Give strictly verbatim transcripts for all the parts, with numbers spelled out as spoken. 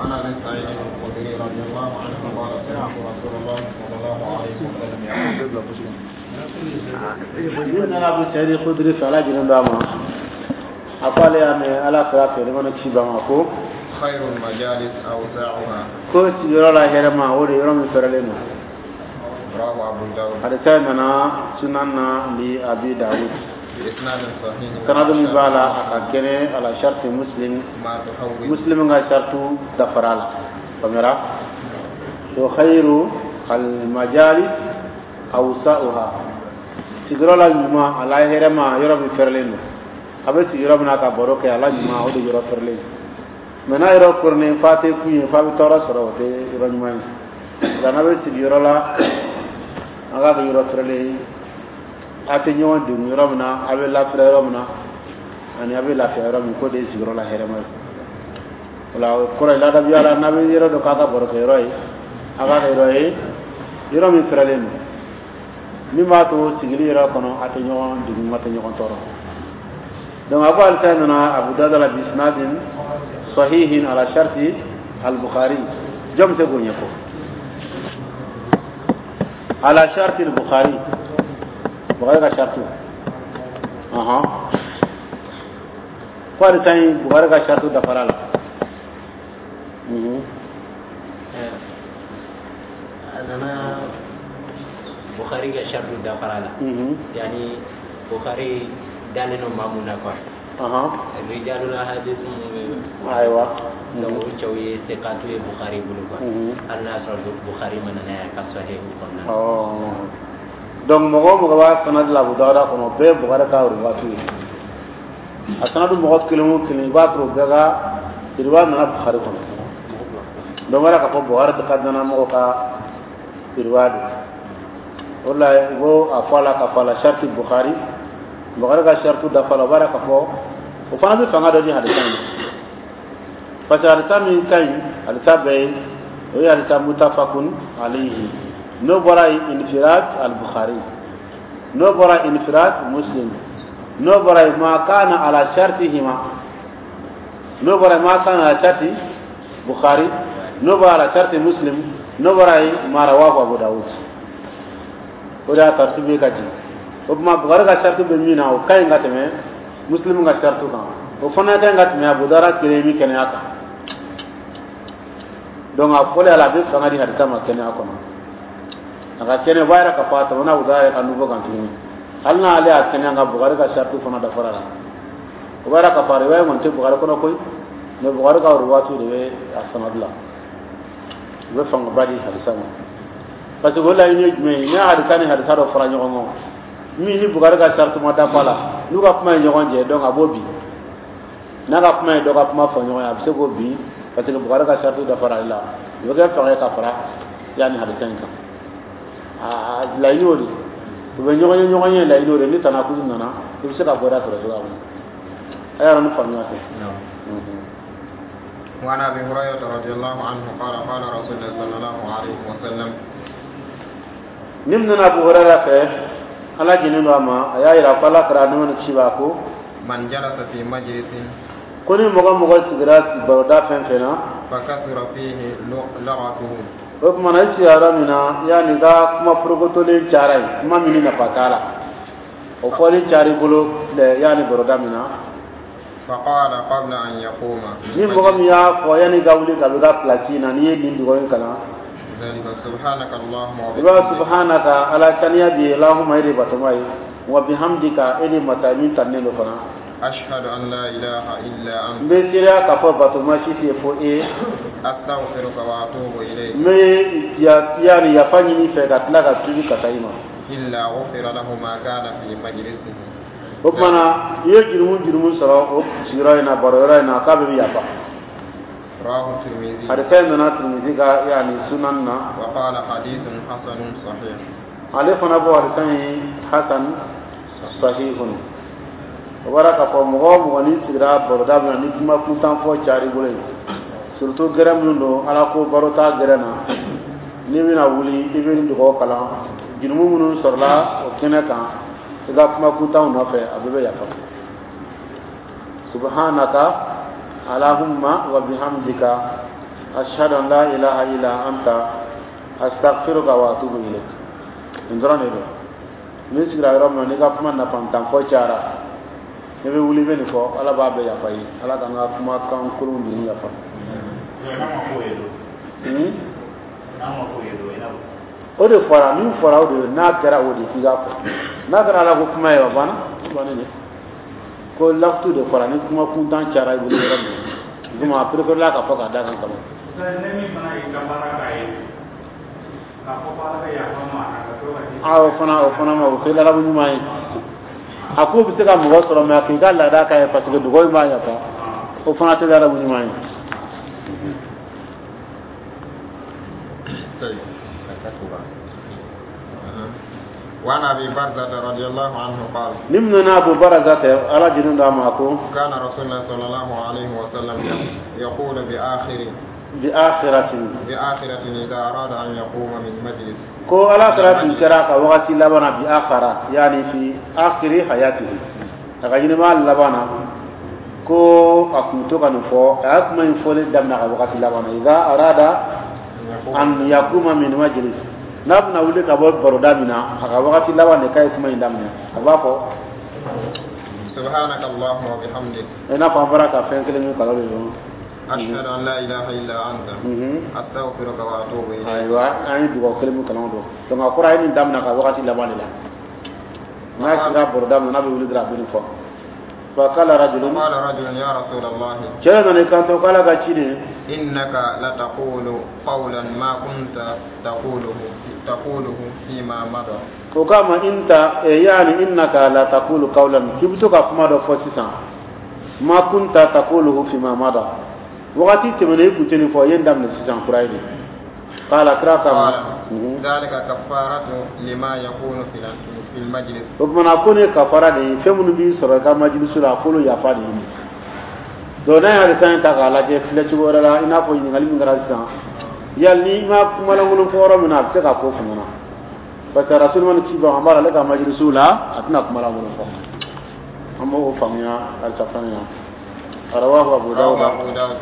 وعن ابي سعيد الخدري رضي الله عنه قال سمعت رسول الله صلى الله عليه وسلم يقول Min nana Abu Sa'id Khudri fɛ, Ala jɛnnen don a ma, a ko ale y'a mɛn Ala kira fɛ, nɛɛma ni kisi b'a ma, ko خير المجالس أوسعها ko sigiyɔrɔ la hɛrɛma, o de yɔrɔ min fɛrɛlen don. رواه أبو داود Hadisa in nana Sunan na li Abi Dawud بإسناد صحيح sanadu min b'a la, a ka kɛnɛ ala sharti Muslim. ما تحول Muslim ka shartu dafara la, faamuyara? To خير المجالس أوسعها, sigiyɔrɔ la ɲuman, a la hɛrɛma, yɔrɔ min fɛrɛlen don. A bɛ sigi yɔrɔ min na ka baro kɛ, a la ɲuman, o de yɔrɔ fɛrɛlen. Mɛ n'a yɔrɔ koronnen f'a tɛ kun ye, f'a bɛ tɔɔrɔ sɔrɔ, o tɛ yɔrɔ ɲuman ye. Nka n'a bɛ sigi yɔrɔ la, an k'a kɛ yɔrɔ fɛrɛlen ye, a tɛ ɲɔgɔn degun yɔrɔ min na, a bɛ lafiya yɔrɔ min na, ani a bɛ lafiya yɔrɔ min, k'o de ye sigiyɔrɔ la hɛrɛma ye. O la, o kɔrɔ ye ladabiya la, n'a bɛ yɔrɔ dɔ k'a ka baro kɛ yɔrɔ ye, a k'a kɛ yɔrɔ ye, yɔrɔ min fɛrɛlen don, min b'a to sigili yɛrɛ kɔnɔ, a tɛ ɲɔgɔn degun, a tɛ ɲɔgɔn tɔɔrɔ. Donc a ko hadisa nana Abu Dawud la بإسناد صحيح على شرط البخاري. Jɔn bɛ se k'o ɲɛfɔ? على شرط البخاري, Bukhari ka shartu. Ɔhɔn, ko hadisa in, Bukhari ka shartu dafara la mhm A nana Bukhari ka shartu dafara la. Mhm yani Bukhari dalen don maa mun na quoi. Ɔhɔn رجال الحديث mun bɛ ayiwa donc o cɛw ye sekatu ye Bukhari bolo quoi. Mhm. Hali n'a sɔrɔ Bukhari ma nana ye a ka sahihu kɔnɔna na. Ɔ, donc mɔgɔ o mɔgɔ b'a sanadi la Abu Dawuda kɔnɔ, o bɛɛ ye Bukhari ka ruwatu ye. A sanadu mɔgɔ kelen o kelen, i b'a sɔrɔ o bɛɛ ka riwaya nana Bukhari kɔnɔ. Donc o yɛrɛ k'a fɔ Bukhari ka danamɔgɔ ka riwaya don. O de la i b'o a fɔ a la k'a fɔ على شرط Bukhari, Bukhari ka shartu dafa la. O b'a yira k'a fɔ o fana bɛ fanga dɔ di hadisa in ma, parce que hadisa min ka ɲi, hadisa bɛɛ ye, o ye hadisa متفق عليه. N'o bɔra yen, انفراد البخاري, n'o bɔra انفراد Muslim, n'o bɔra yen ما كان على شرطهما, n'o bɔra yen ما كان على شرط Bukhari, n'o bɔra على شرط Muslim, n'o bɔra yen ما رواه Abu Dawud. O de y'a tartibu ye ka jigin. O tuma Bukhari ka shartu bɛ min na, o ka ɲi ka tɛmɛ Muslim ka shartu kan, o fana ka ɲi ka tɛmɛ Abu Dawud kelen min kɛnɛya kan. Donc a fɔlen a la, a bɛ fanga di hadisa ma kɛnɛya kɔnɔ, a ka kɛnɛ. O b'a yira k'a fɔ a tɛmɛna Abu Dawud yɛrɛ ka niveau kan tuguni, hali n'ale y'a kɛnɛya, nka Bukhari ka shartu fana dafara la. O b'a yira k'a fɔ a riwaya kɔni tɛ Bukhari kɔnɔ koyi, mais Bukhari ka ruwatu de bɛ a sanadu la, u bɛ fangaba di hadisa ma. Parce que o laɲini ye jumɛn ye? Ni hadisa ni hadisa dɔ fara ɲɔgɔn kan, min ni Bukhari ka shartu ma dafa la, n'u ka kuma ye ɲɔgɔn jɛ, donc a b'o bin. N'a ka kuma ye dɔ ka kuma fɔ ɲɔgɔn ye, a bɛ se k'o bin, parce que Bukhari ka shartu dafara ale la. O bɛ kɛ fanga ye ka fara yanni hadisa in kan. Aa, laɲini o de u bɛ ɲɔgɔn ye, ɲɔgɔn ye laɲini o de. Ni tanakuzu nana, i bɛ se ka bɔda sɔrɔ cogoya min na, a yɛrɛ ni faamuya tɛ. Non. وعن ابي هريره رضي الله عنه قال قال رسول الله صلى الله عليه وسلم Ni min nana Abu Hurairah fɛ, Ala jɛnnen don a ma, a y'a yira ko Ala kɛra nɛɛma ni kisi b'a ko من جلس في مجلس ko ni mɔgɔ mɔgɔ sigira baroda fɛn fɛn na فكثر فيه لغته o tuma na, i sigira yɔrɔ min na, yanni ka kuma forokotolen cayara yen, kuma min ni nafa t'a la, o fɔli cayara i bolo yanni baroda min na فقال قبل أن يقوم ni mɔgɔ min y'a fɔ yanni ka wuli ka bɔ i ka place na, n'i ye nin dugawu in kalan ذلك سبحانك اللهم i b'a سبحانك, Ala saniya bi ye, اللهم, e de batoma ye, وبحمدك, e de masa min tannen don fana أشهد أن لا إله إلا n أنت bɛ seereya k'a fɔ batoma si tɛ fo e أستغفرك وأتوب إليك n bɛ ya yanni yafa ɲini fɛ ka tila ka tuubi ka taa i ma إلا غفر له ما كان في مجلسه O tuma na, i ye jurumu jurumu sɔrɔ o sigiyɔrɔ in na, baro yɔrɔ in na, k'a bɛɛ bɛ yafa. رواه الترمذي Hadisa in nana Tirmidhi ka yanni sunan na. وقال حديث حسن صحيح Ale fana bɔ hadisa in حسن صحيح. O bɔra k'a fɔ mɔgɔ o mɔgɔ n'i sigira baroda min na, ni kuma kuntan fɔ cayara i bolo yen, surtout gɛrɛ minnu don, Ala ko baro t'a gɛrɛ na, n'i bɛna wuli, i bɛ nin dugawu kalan, jurumu minnu sɔrɔla o kɛnɛ kan i ka kuma kuntanw nɔfɛ, a bɛɛ bɛ yafa. سبحانك اللهم وبحمدك Ashhadu an la ilaha illa anta astaghfiruka wa atubu ilayk. Nin dɔrɔn de don. N'i sigira yɔrɔ min na, n'i ka kuma nafantan fɔ cayara, n'i bɛ wuli, i bɛ nin fɔ, Ala b'a bɛɛ yafa i ye. Ala k'an ka kumakan kolonw dun yafa. Hmm? O de fɔra, min fɔra, o de ye. N'a kɛra o de, k'i k'a fɔ. N'a kɛra Ala ko kuma ye, o banna, o bannen de. Ko lakutu de fɔra, ni kuma kuntan cayara i bolo yɔrɔ min, komi a préféré la ka fɔ k'a d'a kan kama. Ne min fana y'i ka baara k'a ye k'a fɔ ko Ala ka yafa ma ka to ka di. A o fana, o fana ma, o tɛ ladabu ɲuman ye. A ko bɛ se ka mɔgɔ sɔrɔ, mɛ a k'i ka laada k'a ye, parce que dugawu in b'a yafa, o fana tɛ ladabu ɲuman ye. طيب. وعن أبي برزة رضي الله عنه قال Ni min nana Abu Baraza tɛ, Ala jinin d'a ma, ko كان رسول الله صلى الله عليه وسلم يقول بآخر bi akhiratin بآخرة إذا أراد أن يقوم من مجلس. Ko Ala kɛra tun kɛra a ka wagati laban na, bi akhara, yani fi akhiri hayatihi, a ka ɲɛnɛmaya laban na, ko a kun to ka nin fɔ. A y'a kuma in fɔli daminɛ a ka wagati laban na, idha arada an yakuma min majlis, n'a bɛna wuli ka bɔ baroda min na, a ka wagati laban de k'a ye kuma in daminɛ. A b'a fɔ سبحانك اللهم وبحمدك i n'a fɔ an bɔra ka fɛn kelen min kalan de don. أشهد أن لا إله إلا أنت أستغفرك وأتوب إليك. Ayiwa, an ye dugawu kelen min kalan don. Donc a kɔrɔ, a ye nin daminɛ a ka wagati laban de la. N'a sera baroda min na, n'a bɛ wuli dɔrɔn, a bɛ nin fɔ. فقال رجل قال رجل يا رسول الله Cɛ nana i kanto k'Ala ka ci de إنك لتقول قولا ما كنت تقوله تقوله فيما مضى. O k'a ma inta eh, yani innaka la taqulu qawlan, k'i bɛ to ka kuma dɔ fɔ sisan, ma kunta taquluhu fima mada, wagati tɛmɛnen i kun tɛ nin fɔ, i ye nin daminɛ sisan kura ye de. Qala, kira k'a ma قال ذلك كفارة لما يكون في في المجلس. O tuma na, ko ne kafara de ye fɛn minnu b'i sɔrɔ i ka majilisu la, a k'olu yafa de ye. Donc n'a ye hadisa in ta k'a lajɛ filɛ cogo wɛrɛ la, i n'a fɔ ɲininkali min kɛra sisan, yali n'i ma kumalankolon fɔ yɔrɔ min na, a bɛ se ka ko fana na, parce que rasul mana ci ban, an b'a la, ale ka majilisiw la, a tɛna kumalankolon fɔ. An b'o faamuya halisa fana na. Rawahu Abu رواه Dawuda. أبو داود.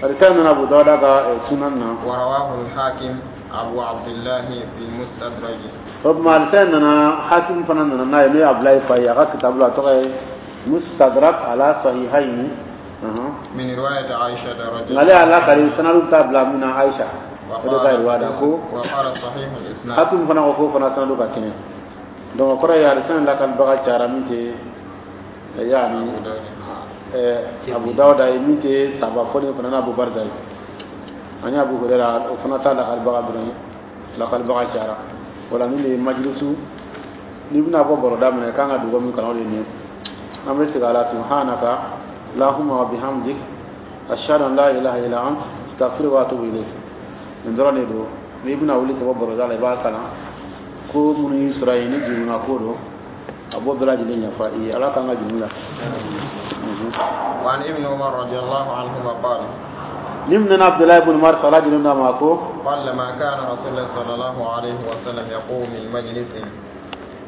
Hadisa in nana Abu Dawuda ka eh, sunan na. ورواه الحاكم أبو عبد الله في المستدرج. O tuma, hadisa in nana, Hakim fana nana n'a ye, n'o ye Abulayi fa ye, a ka kitabu la, a tɔgɔ ye Mustadrak ala Sahihayni. Ɔhɔn. من رواية عائشة رضي Nka ale y'a lakali, sanadu bɛ taa bila min na, Aisha o de ka riwaya da ko وقال صحيح الإسناد. Hakim fana ko k'o fana sanadu ka kɛnɛ. Donc o kɔrɔ ye hadisa in lakalibaga cayara, min tɛ eh, yaani eh, Abu Dawuda ye, min tɛ saba fɔlen fana n'a Abu Barza ye, ani Abu Huraira, o fana t'a lakalibaga dɔrɔn ye, lakalibaga cayara. O la, nin de ye majilisu, n'i bɛna bɔ baroda min na, i kan ka dugawu min kalan, o de ye nin ye. An bɛ segin a la: subhanaka lahumma wa bihamdik ashhadu an la ilaha illa ant astaghfiruka wa atubu ilayk. Nin dɔrɔn de don. N'i bɛna wuli ka bɔ baroda la, i b'a kalan. Ko minnu y'i sɔrɔ yen, ni jurumuna ko don, a b'o bɛɛ lajɛlen yafa i ye. Ala k'an ka jurumu yafa. وعن ابن عمر رضي الله عنهما قال Ni min nana Abdullahi ibn Umar, ala jinin d'a ma, ko قال ما كان رسول الله صلى الله عليه وسلم يقوم من مجلس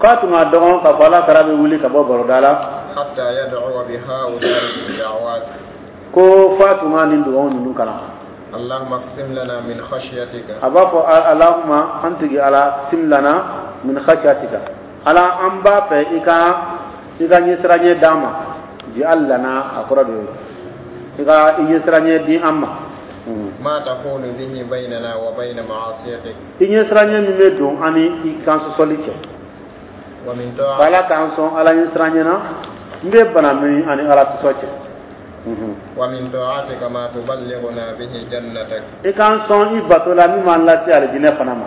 k'a tun ka dɔgɔn k'a fɔ Ala kɛra bɛ wuli ka bɔ baroda la حتى يدعو بهؤلاء الدعوات. Ko f'a tun ka nin dugawu ninnu kalan. اللهم اقسم لنا من خشيتك A b'a fɔ: Allahumma, an tigi Ala, sim lana min khashyatika, Ala, an b'a fɛ i ka i ka ɲɛsiranɲɛ d'an ma. Ji'al lana, a kɔrɔ de ye i ka i ɲɛsiranɲɛ di an ma. ما تحول به بيننا وبين معصيتك I ɲɛsiranɲɛ min bɛ don an ni i kan sɔsɔli cɛ. ومن Ko طاعتك Ala k'an sɔn Ala ɲɛsiranɲɛ na n bɛ bana min ani Ala sɔsɔ cɛ. ومن طاعتك ما تبلغنا به جنتك I k'an sɔn i bato la min b'an lase alijinɛ fana ma.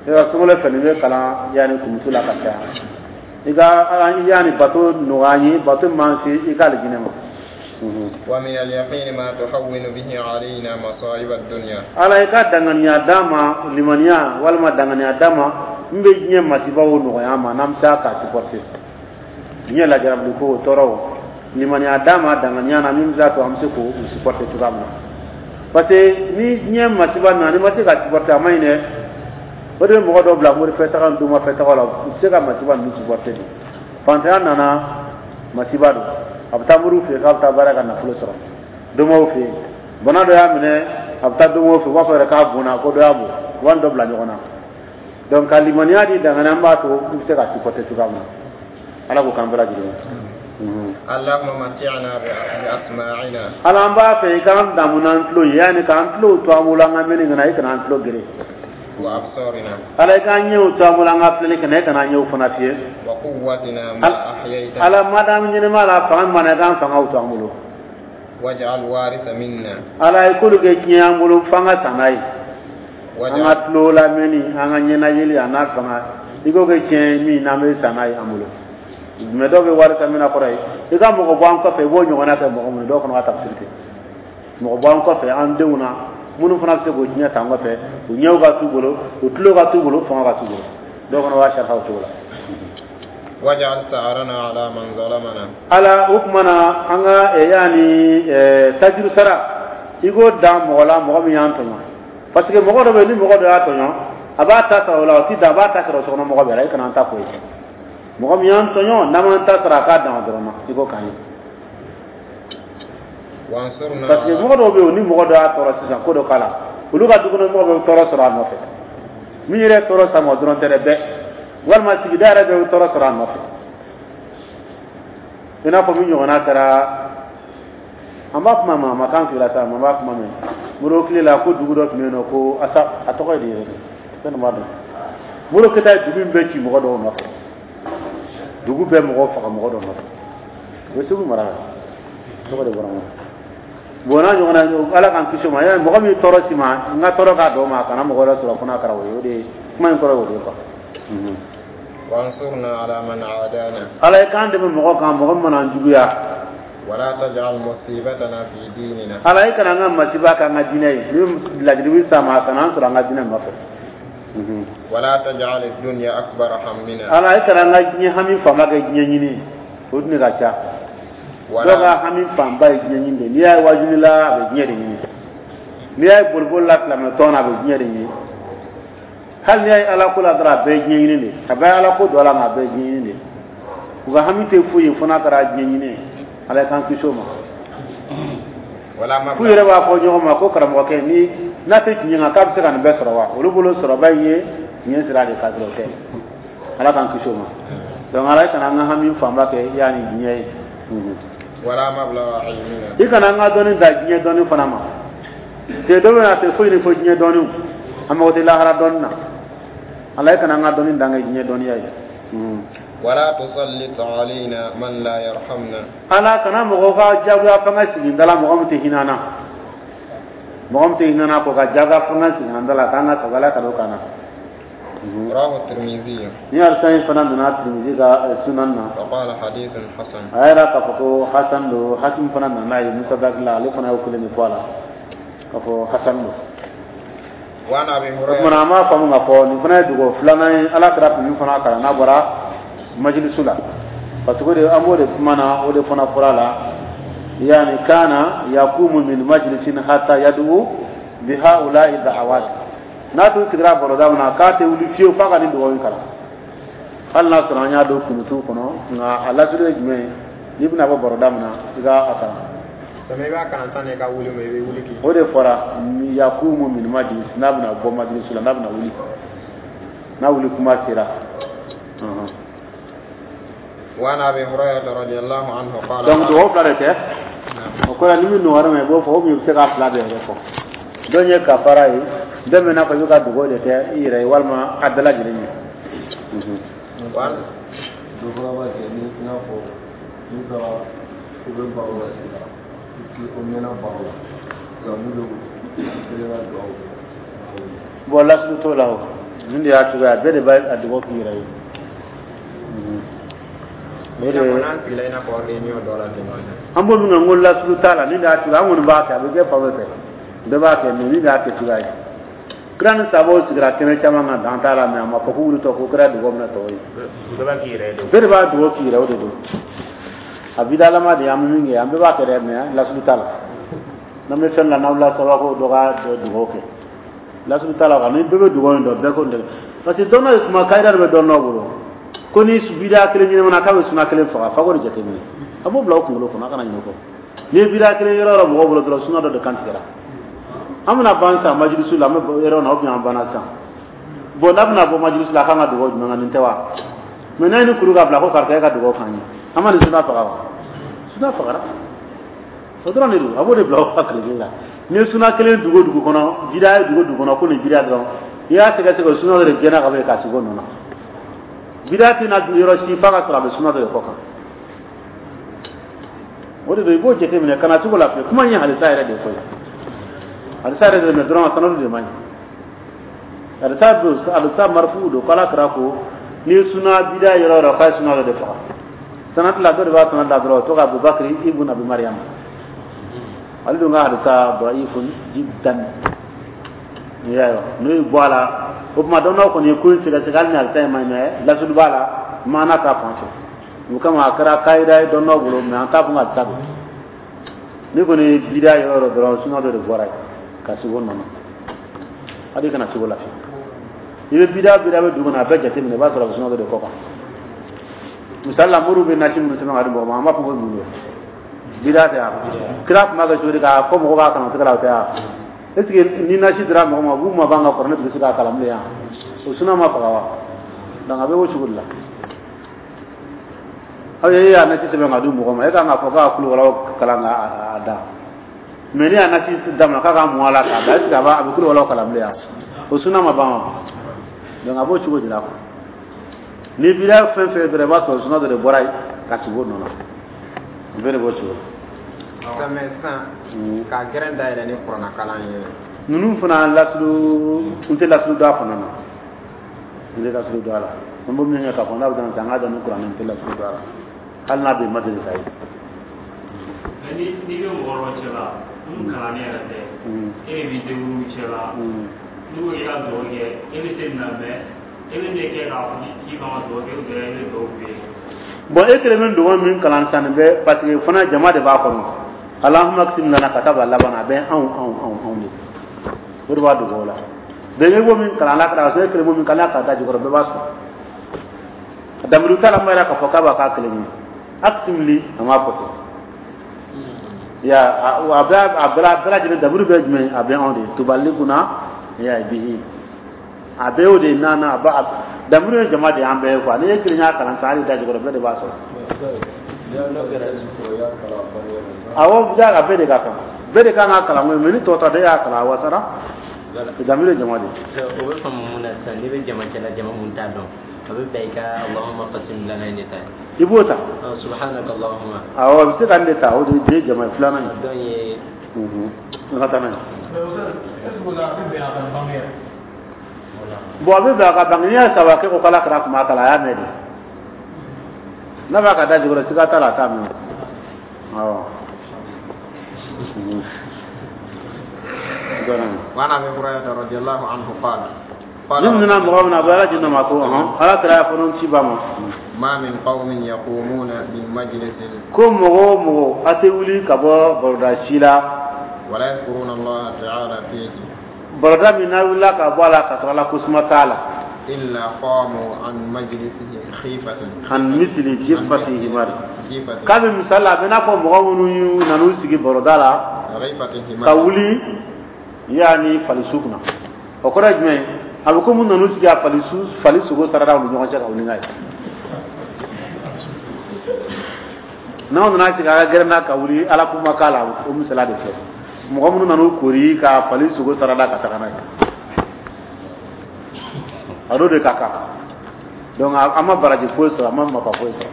I ka sunkalo fɛ, nin bɛ kalan yanni kumusu la ka caya. I ka yanni bato nɔgɔya an ye, bato min b'an se i ka alijinɛ ma. ومن اليقين ما تهون به علينا مصائب الدنيا Ala, i ka danganiya d'an ma, limaniya walima danganiya d'an ma n bɛ diɲɛ masibaw nɔgɔya an ma, n'an bɛ se k'a supporter diɲɛ lajarabili ko tɔɔrɔw. Limaniya d'an ma danganiya na min bɛ se k'a to an bɛ se k'o supporter cogoya min na, parce que ni diɲɛ masiba nana, n'i ma se ka supporter, a ma ɲi dɛ. O de bɛ mɔgɔ dɔw bila morifɛ taga ni domafɛ taga la, u tɛ se ka masiba ninnu supporter de. Fantanya nana, masiba don, a bɛ taa moriw fɛ yen k'a bɛ taa baara ka nafolo sɔrɔ, domaw fɛ yen, bana dɔ y'a minɛ. A bɛ taa don o fɛ, u b'a fɔ yɛrɛ k'a bonna, ko dɔ y'a bon, u b'a dɔ bila ɲɔgɔn na. Donc ka limaniya di danganiya b'a to i bɛ se ka supporter cogoya min na. Ala k'o k'an bɛɛ lajɛlen ye. اللهم متعنا بأسماعنا. Ala, an b'a fɛ i k'an damu n'an tulo ye, yanni k'an tulo to an bolo an ka mɛnni kana, i kana an tulo gere. وأبصارنا. Ala, i k'an ɲɛw to an bolo an ka filɛli kana, i kana an ɲɛw fana fiyɛ. وقوتنا ما أحييتنا. Ala, madamu ɲɛnɛma la, fanga mana, i k'an fangaw to an bolo. واجعل الوارث منا. Ala, i k'olu kɛ tiɲɛ an bolo f'an ka san n'a ye, an واجعل ka tulo lamɛnni, an ka ɲɛnayeli, a n'a fanga, i k'o kɛ tiɲɛ ye min n'an bɛ san n'a ye an bolo. Mɛ dɔw bɛ wari san min na kɔrɔ ye i ka mɔgɔ bɔ an kɔfɛ, i b'o ɲɔgɔnna kɛ mɔgɔ minnu dɔw fana ka tafsiri kɛ, mɔgɔ bɔ an kɔfɛ, an denw na, minnu fana bɛ se k'o diɲɛ ta an kɔfɛ, u ɲɛw ka t'u bolo, u tulo ka t'u bolo, fanga ka t'u bolo. Dɔw fana b'a sariya o cogo la. واجعل ثأرنا على من ظلمنا. Ala, o tuma na an ka yaani tajuru sara, i k'o dan mɔgɔ la, mɔgɔ min y'an tɔɲɔ, parce que mɔgɔ dɔ bɛ yen, ni mɔgɔ dɔ y'a tɔɲɔ, a b'a ta sara o la, o ti dan, a b'a ta sara o sokɔnɔ mɔgɔ bɛɛ la. I kana an ta k'o ye. Mɔgɔ min y'an tɔɲɔ, n'an m'an ta sara, a k'a dan dɔrɔn ma, i k'o k'an ye. وانصرنا Parce que mɔgɔ dɔw bɛ yen, ni mɔgɔ dɔ y'a tɔɔrɔ sisan, ko dɔ k'a la, olu ka dukɔnɔ mɔgɔ bɛ tɔɔrɔ sɔrɔ a nɔfɛ. Min yɛrɛ ye tɔɔrɔ sama, o dɔrɔn tɛ dɛ, bɛɛ walima sigida yɛrɛ bɛɛ bɛ tɔɔrɔ sɔrɔ a nɔfɛ. I n'a fɔ min ɲɔgɔnna kɛra, an b'a kuma ma, a ma kan fila sa, an b'a kuma mɛn Modibo tile la, ko dugu dɔ tun bɛ yen nɔ, ko asa, a tɔgɔ ye di yɛrɛ? Fɛn dɔ b'a dɔn. Modibo Keyita ye dugu in bɛɛ ci mɔgɔ dɔw nɔfɛ, dugu bɛɛ mɔgɔw faga mɔgɔ dɔw nɔfɛ. O ye Segu mara la, tɔgɔ de bɔra n kɔnɔ. Bon, n'a ɲɔgɔnna, Ala k'an kisi o ma. Yali mɔgɔ min tɔɔrɔ si ma, n ka tɔɔrɔ k'a dɔn ma, a kana mɔgɔ wɛrɛ sɔrɔ fo n'a kɛra o ye. O de ye kuma in kɔrɔ ye, o de ye quoi. وانصرنا على من عادانا. Ala ye k'an dɛmɛ mɔgɔ kan, mɔgɔ min mana an juguya. ولا تجعل مصيبتنا في ديننا. Ala, i kana an ka masiba k'an ka diinɛ ye. Ni lajiribi sa ma, a kana an sɔrɔ an ka diinɛ nɔfɛ. ولا تجعل الدنيا أكبر همنا. Ala, i kana an ka diɲɛ hami fanba kɛ diɲɛ ɲini ye. O dun de ka ca. Dɔw ka hami fanba ye diɲɛ ɲini de. N'i y'a ye wajuli la, a bɛ diɲɛ de ɲini. N'i y'a ye boliboli la silamɛ tɔn na, a bɛ diɲɛ de ɲini. Hali n'i y'a ye ala ko la dɔrɔn, a bɛɛ ye diɲɛ ɲini de. A bɛɛ ye ala ko don a la, nka a bɛɛ ye diɲɛ ɲini de. U ka hami tɛ foyi ye fo n'a kɛra diɲɛ ɲini ye. Ala k'an kisi o ma. ولا F'u yɛrɛ مبلغ b'a fɔ ɲɔgɔn ma ko karamɔgɔkɛ ni n'a tɛ tiɲɛ kan, k'a bɛ se ka nin bɛɛ sɔrɔ wa? Olu bolo sɔrɔba in ye tiɲɛ sira de k'a sɔrɔ o tɛ. Ala k'an kisi o ma. Donc Ala, i kana an ka hami fanba kɛ yanni diɲɛ ye. ولا مبلغ علمنا. I kana an ka dɔnni da diɲɛ dɔnni fana ma. Te dɔ bɛ na, a tɛ foyi ni fo diɲɛ dɔnniw, an mago tɛ lahara dɔnni na. Ala, i kana an ka dɔnni dan kɛ diɲɛ dɔnniya ye. ولا تسلط علينا من لا يرحمنا. Ala, kana mɔgɔw ka jagoya fanga sigi n da la, mɔgɔ min tɛ hinɛ an na, mɔgɔ min tɛ hinɛ an na, k'o ka jagoya fanga sigi an da la k'an ka sago. Ala ka n'o k'an na. رواه الترمذي. Ni hadisa in fana nana Tirimizi ka eh, sunan na. وقال حديث حسن. A y'a yira k'a fɔ ko hasan don. Hakim fana nana n'a ye Mustadrak la, ale fana y'o kelen de fɔ a la k'a fɔ hasan don. وعن أبي O tuma هريرة na, an b'a faamu k'a fɔ nin fana ye dugawu filanan ye Ala kɛra tun min fana kalan n'a bɔra majilisu la, parce que o de an b'o de kuma na, o de fana fɔra la, yani كان يقوم من مجلس حتى يدعو بهؤلاء الدعوات. N'a tun sigira baroda min na, k'a tɛ wuli fiyewu f'a ka nin dugawu in kalan, hali n'a sɔrɔ an y'a don kunutu kɔnɔ. Nka a lasiri ye jumɛn ye? N'i bɛna bɔ baroda min na, i ka a kalan. Sami, i b'a kalan sani i ka wuli, ma i bɛ wuli k'i O de fɔra يقوم من مجلس, n'a bɛna bɔ majilisu la, n'a bɛna wuli, n'a wuli kuma sera. Ɔhɔn. وعن أبي هريرة رضي الله عنه قال Donc dugawu fila de tɛ. نعم. O kɔrɔ, ni min nɔgɔyara ma, i b'o fɔ, o min bɛ se k'a fila bɛɛ yɛrɛ fɔ. Dɔ ye kafara ye, dɔ bɛ n'a fɔ i bɛ ka dugawu de kɛ i yɛrɛ ye, walima a bɛɛ lajɛlen ye. وعن Dɔ fana b'a kɛ ni i n'a fɔ n'u taara u bɛ baro la sisan, o mɛnna baro la sisan, n'u bɛ kelen ka dugawu kɛ. Bon, lasulu t'o la. O nin de y'a cogoya, bɛɛ de b'a a dugawu k'i yɛrɛ ye. O I de n'a fɔ n'an sigila, i n'a fɔ réunion dɔ la ten. An b'o min kɛ, n ko lasulu t'a la. Nin de y'a cogoya, an kɔni b'a kɛ, a bɛ kɛ fan bɛɛ fɛ, bɛɛ b'a kɛ, mais nin de y'a kɛ cogoya ye. Kira ni sabaw sigira kɛnɛ caman kan, dan t'a la, mais a ma fɔ k'u wulitɔ ko kira dugawu minɛ tɔw ye. Bɛɛ b'a k'i yɛrɛ ye. Bɛɛ de b'a dugawu k'i yɛrɛ, o de don. A bidalama de ye, an bɛ min kɛ, an bɛɛ b'a kɛ dɛ, mais lasulu t'a la. N'an bɛ fɛn la, n'aw la saba ko dɔ ka dugawu kɛ, lasulu t'a la. Ni bɛɛ bɛ dugawu in dɔn, bɛɛ ko nin, parce que dɔn ye kuma kayida de bɛ dɔn dɔw bolo ko ni bida kelen ɲɛnamana, k'a bɛ suna kelen faga. Fa k'o de jateminɛ, a b'o bila o kunkolo kɔnɔ, a kana ɲinɛ o kɔ. N'i ye bida kelen yɔrɔ yɔrɔ mɔgɔw bolo dɔrɔn, suna dɔ de kan tigɛra. An bɛna ban sisan majilisu la, an bɛ yɔrɔ na, ou bien an banna sisan. Bon, n'a bɛna bɔ majilisu la, a kan ka dugawu jumɛn kan? Nin tɛ wa? Mais n'a ye ni kuru ka bila ko karisa e ka dugawu k'an ye, an ma nin suna faga wa? Suna fagara, o dɔrɔn de don. A b'o de bila o hakili la. N'i ye suna kelen dugu dugu kɔnɔ, bida ye dugu dugu kɔnɔ, ko nin bida dɔrɔn, i y'a sɛgɛsɛgɛ, o suna dɔ de gɛnna ka bɔ yen k'a sigi o nɔ na. Bida tɛna yɔrɔ si f'a ka sɔrɔ a bɛ suna dɔ de kɔ kan. O de don, i b'o jateminɛ kana cogo la fiyewu. Kuma in ye halisa yɛrɛ de ye koyi, halisa yɛrɛ de, mais dɔrɔn sanadu de man ɲi. Halisa don, halisa marifu don, k'ala kira ko n'i ye suna bida yɔrɔ yɔrɔ, k'a ye suna dɔ de faga. Sanadu la, dɔ de b'a sanadu la dɔrɔn, o tɔgɔ Abubakari ibn Abi Mariam, ale dun ka hadisa da'ifun jiddan. N'i y'a ye, n'o ye bɔ a la, o tuma dɔnnaw kɔni ye ko in sɛgɛsɛgɛ, hali ni hadisa in ma ɲi, mais lasulu b'a la maana ta fan fɛ. O kama a kɛra kayida ye dɔnnaw bolo, mais an t'a fɔ ka hadisa don. N'i kɔni ye bida yɔrɔ yɔrɔ dɔrɔn, suna dɔ de bɔra yen ka sigi o nɔ na, hali kana sigi o la fiyewu. I bɛ bida bida bɛ dugu kɔnɔ, a bɛɛ jateminɛ, i b'a sɔrɔ a bɛ suna dɔ de kɔ kan. Misali la, moriw bɛ nasi minnu sɛbɛn ka di mɔgɔ ma, an b'a fɔ ko mun don? Bida tɛ yan. Kira tun b'a kɛ cogo di k'a fɔ mɔgɔw k'a kalan tɛgɛ la? O tɛ yan. Est ce que ni nasi dira mɔgɔ ma, u b'u ma ban ka kɔrɔ, ne tun bɛ se k'a kalan bilen yan? O suna ma faga wa? Donc a bɛ o cogo de la. Aw ye, e y'a nasi sɛbɛn ka di mɔgɔ ma, e kan k'a fɔ k'a kulukɔrɔ kalan k'a da, mais n'i y'a nasi d'a ma k'a ka mun a la k'a da, est ce que a b'a a bɛ kulukɔrɔ kalan bilen yan? O suna ma ban wa? Donc a b'o cogo de la quoi. Ni bida fɛn fɛn dɔrɔn, i b'a sɔrɔ suna dɔ de bɔra yen ka sigi o nɔ na. O bɛɛ de b'o cogo la. Mais sisan ka gɛrɛn dayɛlɛ ni kuranna kalan ye? Ninnu fana lasulu, n tɛ lasulu dɔn a fana na, n tɛ lasulu dɔn a la. N b'o min kɛ k'a fɔ n'a bɛ taa an ka dɔn ni kuranɛ, n tɛ lasulu dɔn a la, hali n'a bɛ ma deli ka ye. Ni n'i bɛ mɔgɔ dɔ cɛ la minnu kalannen yɛrɛ tɛ, e de b'i débrouiller cɛ la, n'u ko k'i ka dugawu kɛ, e bɛ se nin na, mais e bɛ ne kɛ k'a fɔ k'i kan ka dugawu kɛ, ou bien e bɛ dugawu k'u ye? Bon, e kelen bɛ dugawu min kalan sisan, nin bɛ parce que fana jama de b'a kɔnɔ. Alahuma kisim lana ka taa bila laban na, a bɛ anw anw anw anw de, o de b'a dugawu la. Bɛn e b'o min kalan ala kira, e kelen b'o min kalan k'a da jukɔrɔ, bɛɛ b'a sɔrɔ. Damiru t'a la, ma yɛrɛ k'a fɔ k'a b'a k'a kelen ye. Akisim li, a m'a fɔ ten ya, a bɛɛ a bɛɛ a bɛɛ lajɛlen damiru bɛ jumɛn? A bɛ anw de tubali kunna ya bihi, a bɛɛ y'o de ye. Nana a ba damiru ye jama de y'an bɛɛ ye quoi. N'i ye kelen y'a kalan sisan, hali da jukɔrɔ, bɛɛ de b'a sɔrɔ. Awɔ, ja, a bɛɛ de ka kan, bɛɛ de kan ka kalan koyi, mais ni tɔ ta de y'a kalan, a wasara, damiru ye jama de ye. O bɛ faamu mun na sisan? N'i bɛ jama cɛla, jama mun t'a dɔn, a bɛ bɛn i ka Allahumma qasim lana in de ta. I b'o ta. Subhanaka Allahumma. Awɔ, a bɛ se ka nin de ta, o de ye jama ye filanan ye. Dɔn ye. An ka taa n'a ye. Est ce que o la a bɛ bɛn a ka bange yɛrɛ? Bon, a bɛ bɛn a ka bange. N'i y'a saba kɛ ko k'ala kira tun b'a kalan, a y'a mɛn de. N'a b'a ka da jukɔrɔ, siga t'a la, a t'a mɛn. Awɔ. وعن ابي هريره رضي الله عنه قال قال Ni nana mɔgɔ min na, a bɛ ala jina ma ko ɔhɔn, ala kira y'a fɔ n'o ci ba ma. ما من قوم يقومون من مجلس Ko mɔgɔ o mɔgɔ, a tɛ wuli ka bɔ baroda si la. ولا يذكرون الله تعالى فيه Baroda min n'a wulila ka bɔ a la ka sɔrɔ ala ko suma t'a la. إلا قاموا عن مجلسه خيفة عن مثل جيفة حمار. جيفة K'a bɛ misali la, a bɛ n'a fɔ mɔgɔ minnu y'u nan'u sigi baroda la غيفة ka حمار wuli yaani falisu kunna. O kɔrɔ ye jumɛn ye? A bɛ komi nan'u sigi a falisu, fali sogo sarada u ni ɲɔgɔn cɛ ka wuli n'a ye. N'aw nana sigi a ka gɛrɛn na ka wuli, ala kuma k'a la, o misaliya de filɛ. Mɔgɔ minnu nan'u kori ka fali sogo sarada ka taga n'a ye, a n'o de ka kan. Donc an ma baraji foyi sɔrɔ, an ma nafa foyi sɔrɔ.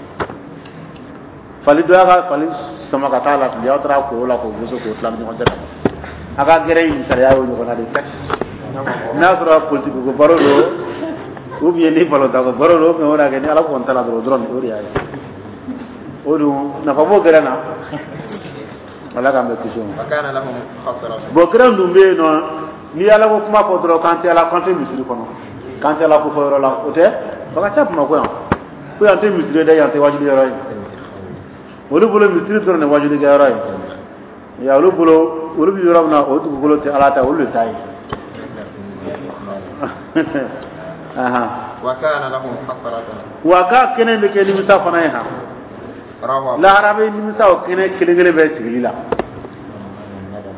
Fali dɔ y'a ka fali sama ka taa la fili, aw taara koro la k'o boso k'o tila ni ɲɔgɔn cɛ ka ban. A ka gɛrɛ in misaliya y'o ɲɔgɔnna de ye. N'a sɔrɔ politiki ko baro don, ou bien ni balontan ko baro don, ou bien o de y'a kɛ ni ala kɔni ta la dɔrɔn dɔrɔn, o de y'a ye. O dun nafa b'o gɛrɛ na, ala k'an bɛ kisi o ma. وكان لهم خسرة Bon, gɛrɛ dun bɛ yen nɔ, n'i ye ala ko kuma fɔ dɔrɔn, k'an tɛ ala, k'an tɛ misiri kɔnɔ, k'an tɛ ala ko fɔ yɔrɔ la, o tɛ o ka ca Bamakɔ yan, ko yan tɛ misiri ye dɛ, yan tɛ wajuli yɔrɔ ye. Olu bolo misiri dɔrɔn de wajuli kɛ yɔrɔ ye ya. Olu bolo, olu bɛ yɔrɔ min na, o dugukolo tɛ ala ta, olu de ta ye. Ahan. وكان لهم حسرة Wa k'a kɛnɛ bɛ kɛ nimisa fana ye han. رواه Lahara bɛ nimisa o kɛnɛ kelen kelen bɛɛ sigili la.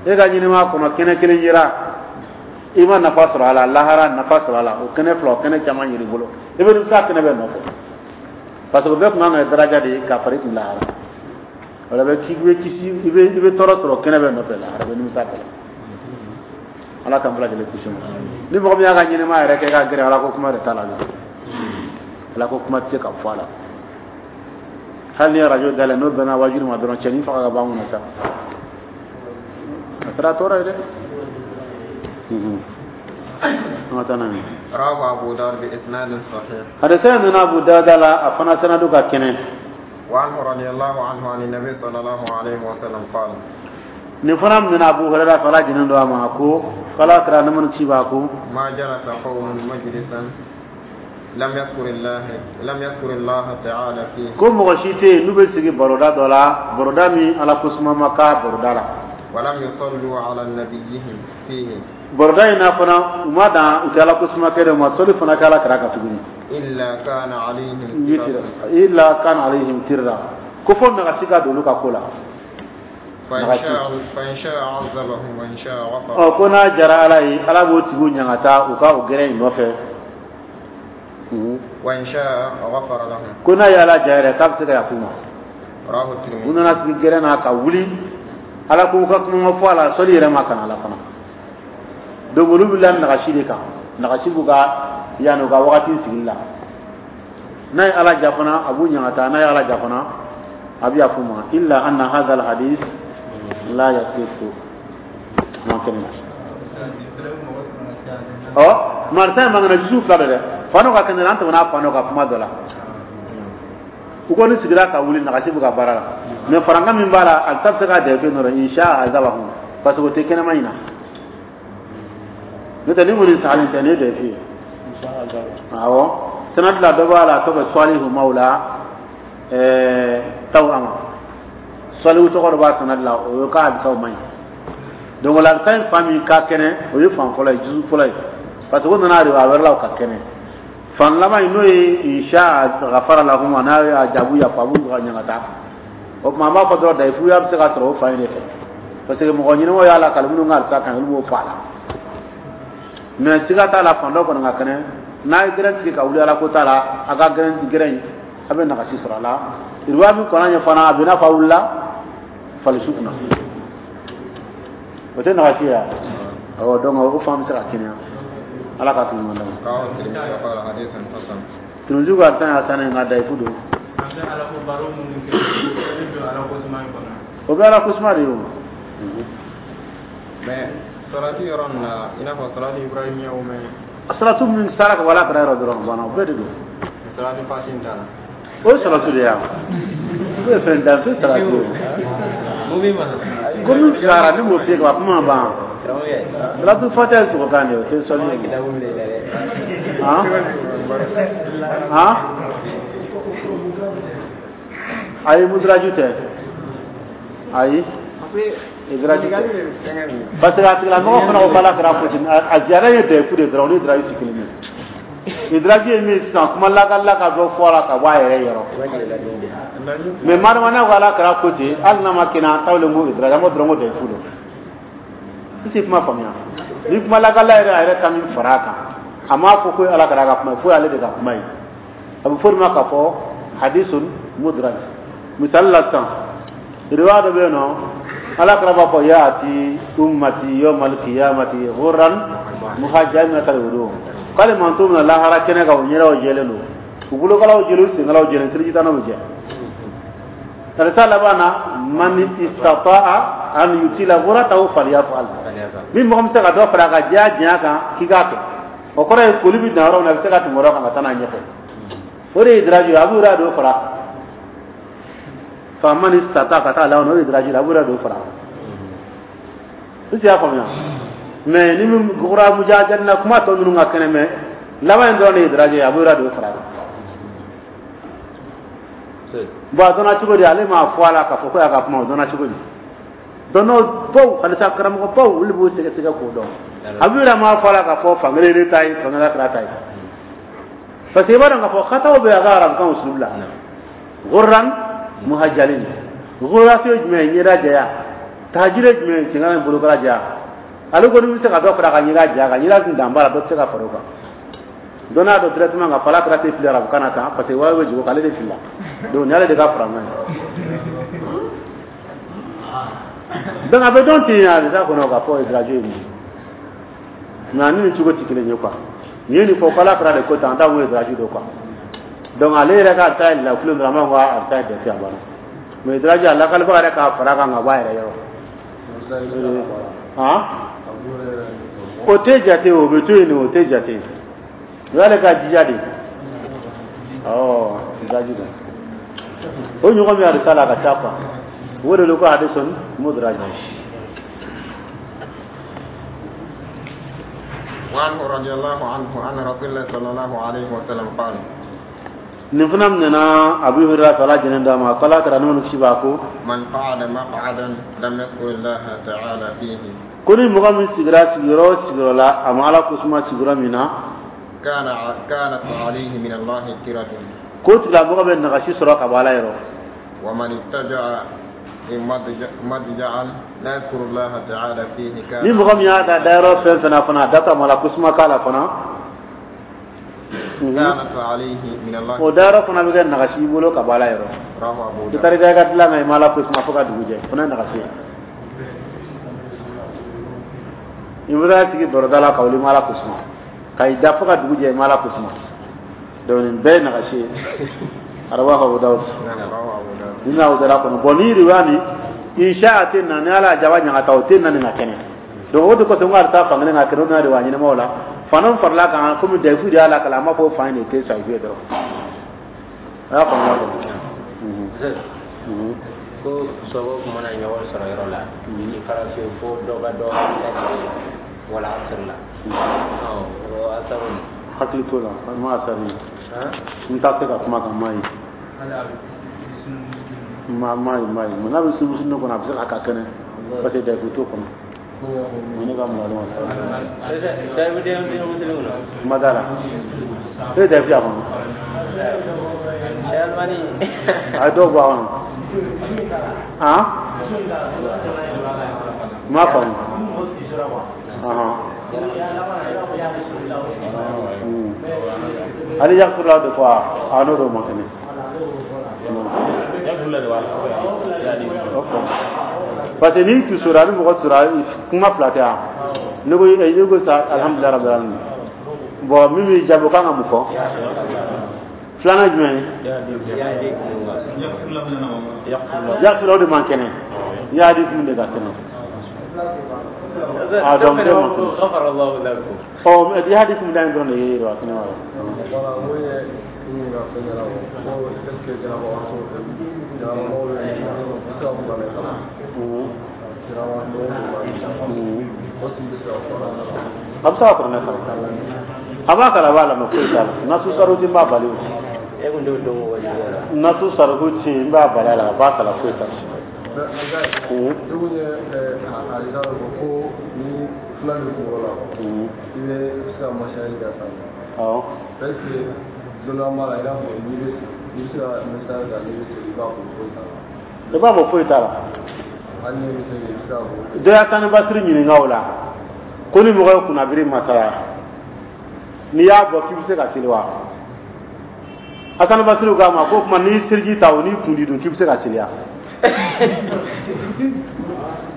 E ka ɲɛnɛmaya kɔnɔ, kɛnɛ kelen yera. I ma nafa sɔrɔ a la, lahara nafa sɔrɔ a la, o kɛnɛ fila, o kɛnɛ caman yɛrɛ bolo, i bɛ nimisa kɛnɛ bɛɛ nɔfɛ, parce que o bɛɛ tun kan ka kɛ daraja de ye ka fara i kun lahara. O la bɛ k'i bɛ kisi, i bɛ i bɛ tɔɔrɔ sɔrɔ kɛnɛ bɛɛ nɔfɛ lahara, i bɛ nimisa kɛlɛ. Ala k'an bɛɛ lajɛlen kisi ma. Ni mɔgɔ min y'a ka ɲɛnɛmaya yɛrɛ kɛ ka gɛrɛ, Ala ko kuma de t'a la dɛ, Ala ko kuma tɛ se ka fɔ a la. Hali ni ye arajo dayɛlɛ, n'o bɛnna wajibi ma dɔrɔn, cɛnin faga ka bɔ an kunna sa, a kɛra tɔɔrɔ ye dɛ. An ka taa n'a ye. رواه أبو داود بإسناد صحيح. Hadisa in nana Abu Dawuda la, a fana sanadu ka kɛnɛ. وعنه رضي الله عنه عن النبي صلى الله عليه وسلم قال: Nin fana minɛna Abu Hurairah fɛ, Ala jɛnnen don a ma, ko k'Ala kira nɛɛma ni kisi b'a ko: ما جلس قوم مجلسا لم يذكر الله لم يذكر الله تعالى فيه. Ko mɔgɔ si tɛ yen n'u bɛ sigi baroda dɔ la, baroda min Ala ko suma ma k'a baroda la, ولم يصلوا على نبيهم فيه، baroda in na fana u ma dan u tɛ Ala ko suma kɛ dɛ, u ma sɔli fana kɛ Ala kira kan tuguni, إلا كان عليهم witira إلا كان عليهم ترا, ko fo nagasi ka don olu ka ko la. فإن شاء فإن شاء عذبهم وإن شاء غفر. Ɔ, ko n'a jara Ala ye, Ala b'o tigiw ɲangata u ka o gɛrɛ in nɔfɛ. وإن شاء غفر لهم. Ko n'a ye Ala ja yɛrɛ, k'a bɛ se ka yafu ma. رواه U الترمذي. nana sigi gɛrɛ na ka wuli, Ala ko ka kuma ma fɔ a la, sɔli yɛrɛ ma kana la fana. Donc olu wulila nagasi de kan, nagasi b'u ka yanni u ka wagati sigili la. N'a ye Ala ja fana, a b'u ɲangata, n'a ye Ala ja fana, a bɛ yafu ma. إلا أن هذا الحديث لا يصح man kɛnɛ. Ɔ, marisa in man jusu fila dɛ, fano ka kɛnɛ, an tɛmɛna fano ka kuma dɔ la. U ko ni sigira ka wuli, nagasi bɛ ka baara la, mais farankan min b'a la, a ta bɛ se ka dɛfɛ nɔrɔ إن شاء عذبهم, parce que o tɛ kɛnɛma in na. N'o tɛ, ni kɔni salen tɛ, ne ye dɛfɛ ye. Awɔ, sanadi la dɔ b'a la, a tɔgɔ Salihu Mawla ɛɛ taw ama Salihu tɔgɔ dɔ b'a sanadi la, o ye k'a hadisaw man ɲi. Donc o la, hadisa in fa min ka kɛnɛ, o ye fan fɔlɔ ye, juzu fɔlɔ ye, parce que o nana riwaya wɛrɛ la, o ka kɛnɛ. Fan laban in, n'o ye إن شاء غفر لهم, n'a y'a jaabu yafa, a b'u ka ɲangata. O tuma an b'a fɔ dɔrɔn dayifuya bɛ se ka sɔrɔ o fan in de fɛ, parce que mɔgɔ ɲɛnamaw y'a la kali, minnu ka hadisa kan, olu b'o fɔ a la. Mais siga t'a la, fan dɔ kɔni ka kɛnɛ, n'a ye gɛrɛn sigi ka wuli, Ala ko t'a la, a ka gɛrɛn gɛrɛn in, a bɛ nagasi sɔrɔ a la. Riwaya min kɔnɔ ɲɛ fana, a bɛ i n'a fɔ a wulila falisu kunna, o tɛ nagasi ye wa? Awɔ, donc o fan bɛ se ka kɛnɛya. Ala ka tun ɲuman d'a ma. رواه الترمذي وقال حديث حسن. Tirimisi ko a tan hasan, nka dayifu don. An bɛ Ala ko baro minnu kɛ, o bɛ don Ala ko suma in kɔnɔ. O bɛ Ala ko suma de ye o. Mais salatu yɔrɔ nin na, i n'a fɔ salatu ibrahimiya o mɛ? Salatu min sara ka bɔ Ala kɛra yɔrɔ dɔrɔn banna, o bɛɛ de don. Salatu fati in t'a la. O ye salatu de ye wa? O ye fɛn dan fɛn salatu ye. Mun bɛ ma? Ko min fisayara ne m'o f'i ye ka ban, kuma ma ban. Karamɔgɔkɛ. Salatu fatiha ye sogokan de ye, o tɛ sɔli ye. Kitabu minɛ i la dɛ. Han han, ayi, mudraju tɛ, ayi, idraju tɛ, parce que a tigilamɔgɔ fana ko k'Ala kɛra fo ten, a ziyara ye dɛfu de dɔrɔn, o ni idraju tɛ kelen ye. Idraju ye min ye sisan, kuma lakali ka dɔ fɔ a la ka bɔ a yɛrɛ yɔrɔ. Mais madama n'a ko Ala kɛra ko ten, hali n'a ma kɛnɛ, an t'aw ko idraju, an b'o dɔrɔn ko dɛfu don. I tɛ kuma faamuya, ni kuma lakali yɛrɛ, a yɛrɛ ka min fara a kan, a m'a fɔ ko Ala kɛra ka kuma ye, fo ale de ka kuma ye. A bɛ fɔ o de ma k'a fɔ حديث مدرج. Misali la sisan, riwaya dɔ bɛ yen nɔ, Ala kɛra b'a fɔ: يأتي أمتي يوم القيامة غرا محجلين من آثار الوضوء. K'ale manto min na lahara kɛnɛ kan, u ɲɛdaw jɛlen don, u bolokalaw jɛlen, u senkalaw jɛlen, seliji tannaw bɛ jɛ. Hadisa laban na: من استطاع أن يطيل غرته فليفعل. Ni mɔgɔ min bɛ se ka dɔ fara a ka jɛya janya kan, k'i k'a kɛ. O kɔrɔ ye koli bɛ dan yɔrɔ min na, a bɛ se ka tɛmɛ o yɔrɔ kan ka taa n'a ɲɛfɛ. O de ye idraju ye. A b'u yɛrɛ dɔ fara faama ni sata ka taa laban, o ye idraju ye, a b'u yɛrɛ dɔ fara. I y'a faamuya? Mais ni min gora mujajalina, kuma tɔ ninnu ka kɛnɛ, mais laban in dɔrɔn de ye idraju ye, a b'u yɛrɛ dɔ fara. Bon, a dɔnna cogo di? Ale m'a fɔ a la k'a fɔ ko y'a ka kuma, o dɔnna cogo di? Dɔnnaw baw, halisa karamɔgɔ baw, olu b'o sɛgɛsɛgɛ k'o dɔn. A b'u yɛrɛ m'a fɔ a la k'a fɔ fankelen ne ta ye, fankelen kɛra ta ye, parce que i b'a dɔn k'a fɔ xataw bɛ a ka arabukan usulu la. غرا محجلين, غرا ye jumɛn ye? Ɲɛda jɛya. Tahajiri ye jumɛn ye? Senkala ni bolokala jɛya. Ale ko ni bɛ se ka dɔ fara a kan ɲɛda ja kan ɲɛda tun dan b'a la dɔ tɛ se ka fara o kan donc n'a dɔn directement ka fɔ ala kɛra tɛ fili arabu kan na tan parce que wayi bɛ jigin o kan ale de filila donc nin y'ale de ka fara ye donc a bɛ dɔn ten a bɛ taa kɔnɔ k'a fɔ idraju ye nin ye mais ani nin cogo tɛ kelen ye quoi nin ye nin fɔ ko ala kɛra de ko tan an t'a ko idraju don quoi donc ale yɛrɛ ka ta la kulo dɔrɔn an b'a fɔ a bɛ taa dɛsɛ a banna mais idraju a lakalibaga yɛrɛ k'a fara a kan ka bɔ a yɛrɛ yɔrɔ han o tɛ jate o bɛ to yen o tɛ jate o y'ale ka jija de awɔ idraju don o ɲɔgɔn min hadisa la a ka ca quoi o de ko hadisun mudraj. وعنه رضي الله عنه أن رسول الله صلى الله عليه وسلم قال nin fana minɛna Abu Hurairah ala jɛnɛ d'a ma k'ala kɛra n'o kisi b'a ko من قعد مقعدا لم يذكر الله تعالى فيه ko ni mɔgɔ min sigira sigiyɔrɔ o sigiyɔrɔ la a ma ala ko suma sigiyɔrɔ min na كان كانت عليه من الله كرة k'o tigilamɔgɔ bɛ nagasi sɔrɔ ka bɔ ala yɔrɔ ومن اتجع مضجعا لا يذكر الله تعالى فيه كان ni mɔgɔ min y'a da dayɔrɔ fɛn fɛn na fana a da ta ma la ko suma k'a la fana كانت عليه من الله o dayɔrɔ fana bɛ kɛ nagasi i bolo ka bɔ ala yɔrɔ رواه أبو i داود taara i da i ka dilan na i ma ala ko suma fo ka dugu jɛ o fana ye nagasi ye i bɛ taa sigi baroda la ka wuli i ma ala ko suma ka i da fo ka dugu jɛ i ma ala ko suma donc nin bɛɛ ye nagasi ye arabu Abu Dawud نعم رواه أبو داود ni n'a wudara kɔnɔ bon ni riwaya ni insha a tɛ na ni ala y'a jaba ɲagata o tɛ na nin ka kɛnɛ donc o de kosɔn n ko a bɛ taa fankelen ka kɛnɛ o n'a riwaya ɲɛnamaw la fana farala kan komi dayifu de y'a la kalan an b'a fɔ fan in de tɛ sahihu ye dɔrɔn a y'a faamuya kɔni. Ko sɔgɔ mana ɲɔgɔn sɔrɔ yɔrɔ la i fara se fo dɔ ka dɔ lajɛ wala asiri la ɔ o asaru hakili t'o la n ma asari n t'a se ka kuma kan n m'a ye ma ma ye ma ye mun n'a bɛ sugu ne kɔnɔ a bɛ se ka ka kɛnɛ parce que dayifu t'o kɔnɔ ne ka mɔgɔ ma dayifu den den musilimu na kuma t'a la e ye dayifu y'a kɔnɔ Albani a ye dɔw bɔ a kɔnɔ han n m'a faamu ɔhɔn ale yakula de fɔ a n'o de ma kɛnɛ parce que n'i tusora ni mɔgɔ tusora kuma fila tɛ yan ne ko ne ko sa alhamdulilayi rabbil alamin bon min b'i jaabi o kan ka mun fɔ filanan jumɛn ye yakula o de man kɛnɛ yadi kun de ka kɛnɛ ah donc bɛɛ man kɛnɛ غفر الله لكم ɔ mais yadi kun da in dɔrɔn de ye wa kɛnɛ wa Voilà, n ko ye n ɲininka fɛn ɲɛna o ko est ce que janabagatɔ janabagatɔw bɛ se ka kuranɛ kalan janabagatɔw o tun bɛ se ka kuranɛ kalan a bɛ se ka kuranɛ kalan a b'a kalan a b'a lamɛn foyi t'a la nasu saruti n b'a bali o e kun t'o dɔn wajibiya la nasu saruti n b'a bali a la a b'a kalan foyi t'a la ne kun ye hadisa dɔ fɔ ko ni fila bɛ kunkolo la i bɛ se ka masaya kɛ san awɔ est ce que dɔnniya b'a la i n'a fɔ n'i bɛ i bɛ se ka masaya kɛ n'i bɛ se i b'a fɔ foyi t'a la i b'a fɔ foyi t'a la hali n'i bɛ se i bɛ se k'a fɔ dɔ y'a sani basiri ɲininka o la ko ni mɔgɔ ye kunnabiri masaya n'i y'a bɔ k'i bɛ se ka seli wa Hassan Basiri k'a ma ko kuma n'i seliji ta o n'i kundi dun k'i bɛ se ka seli wa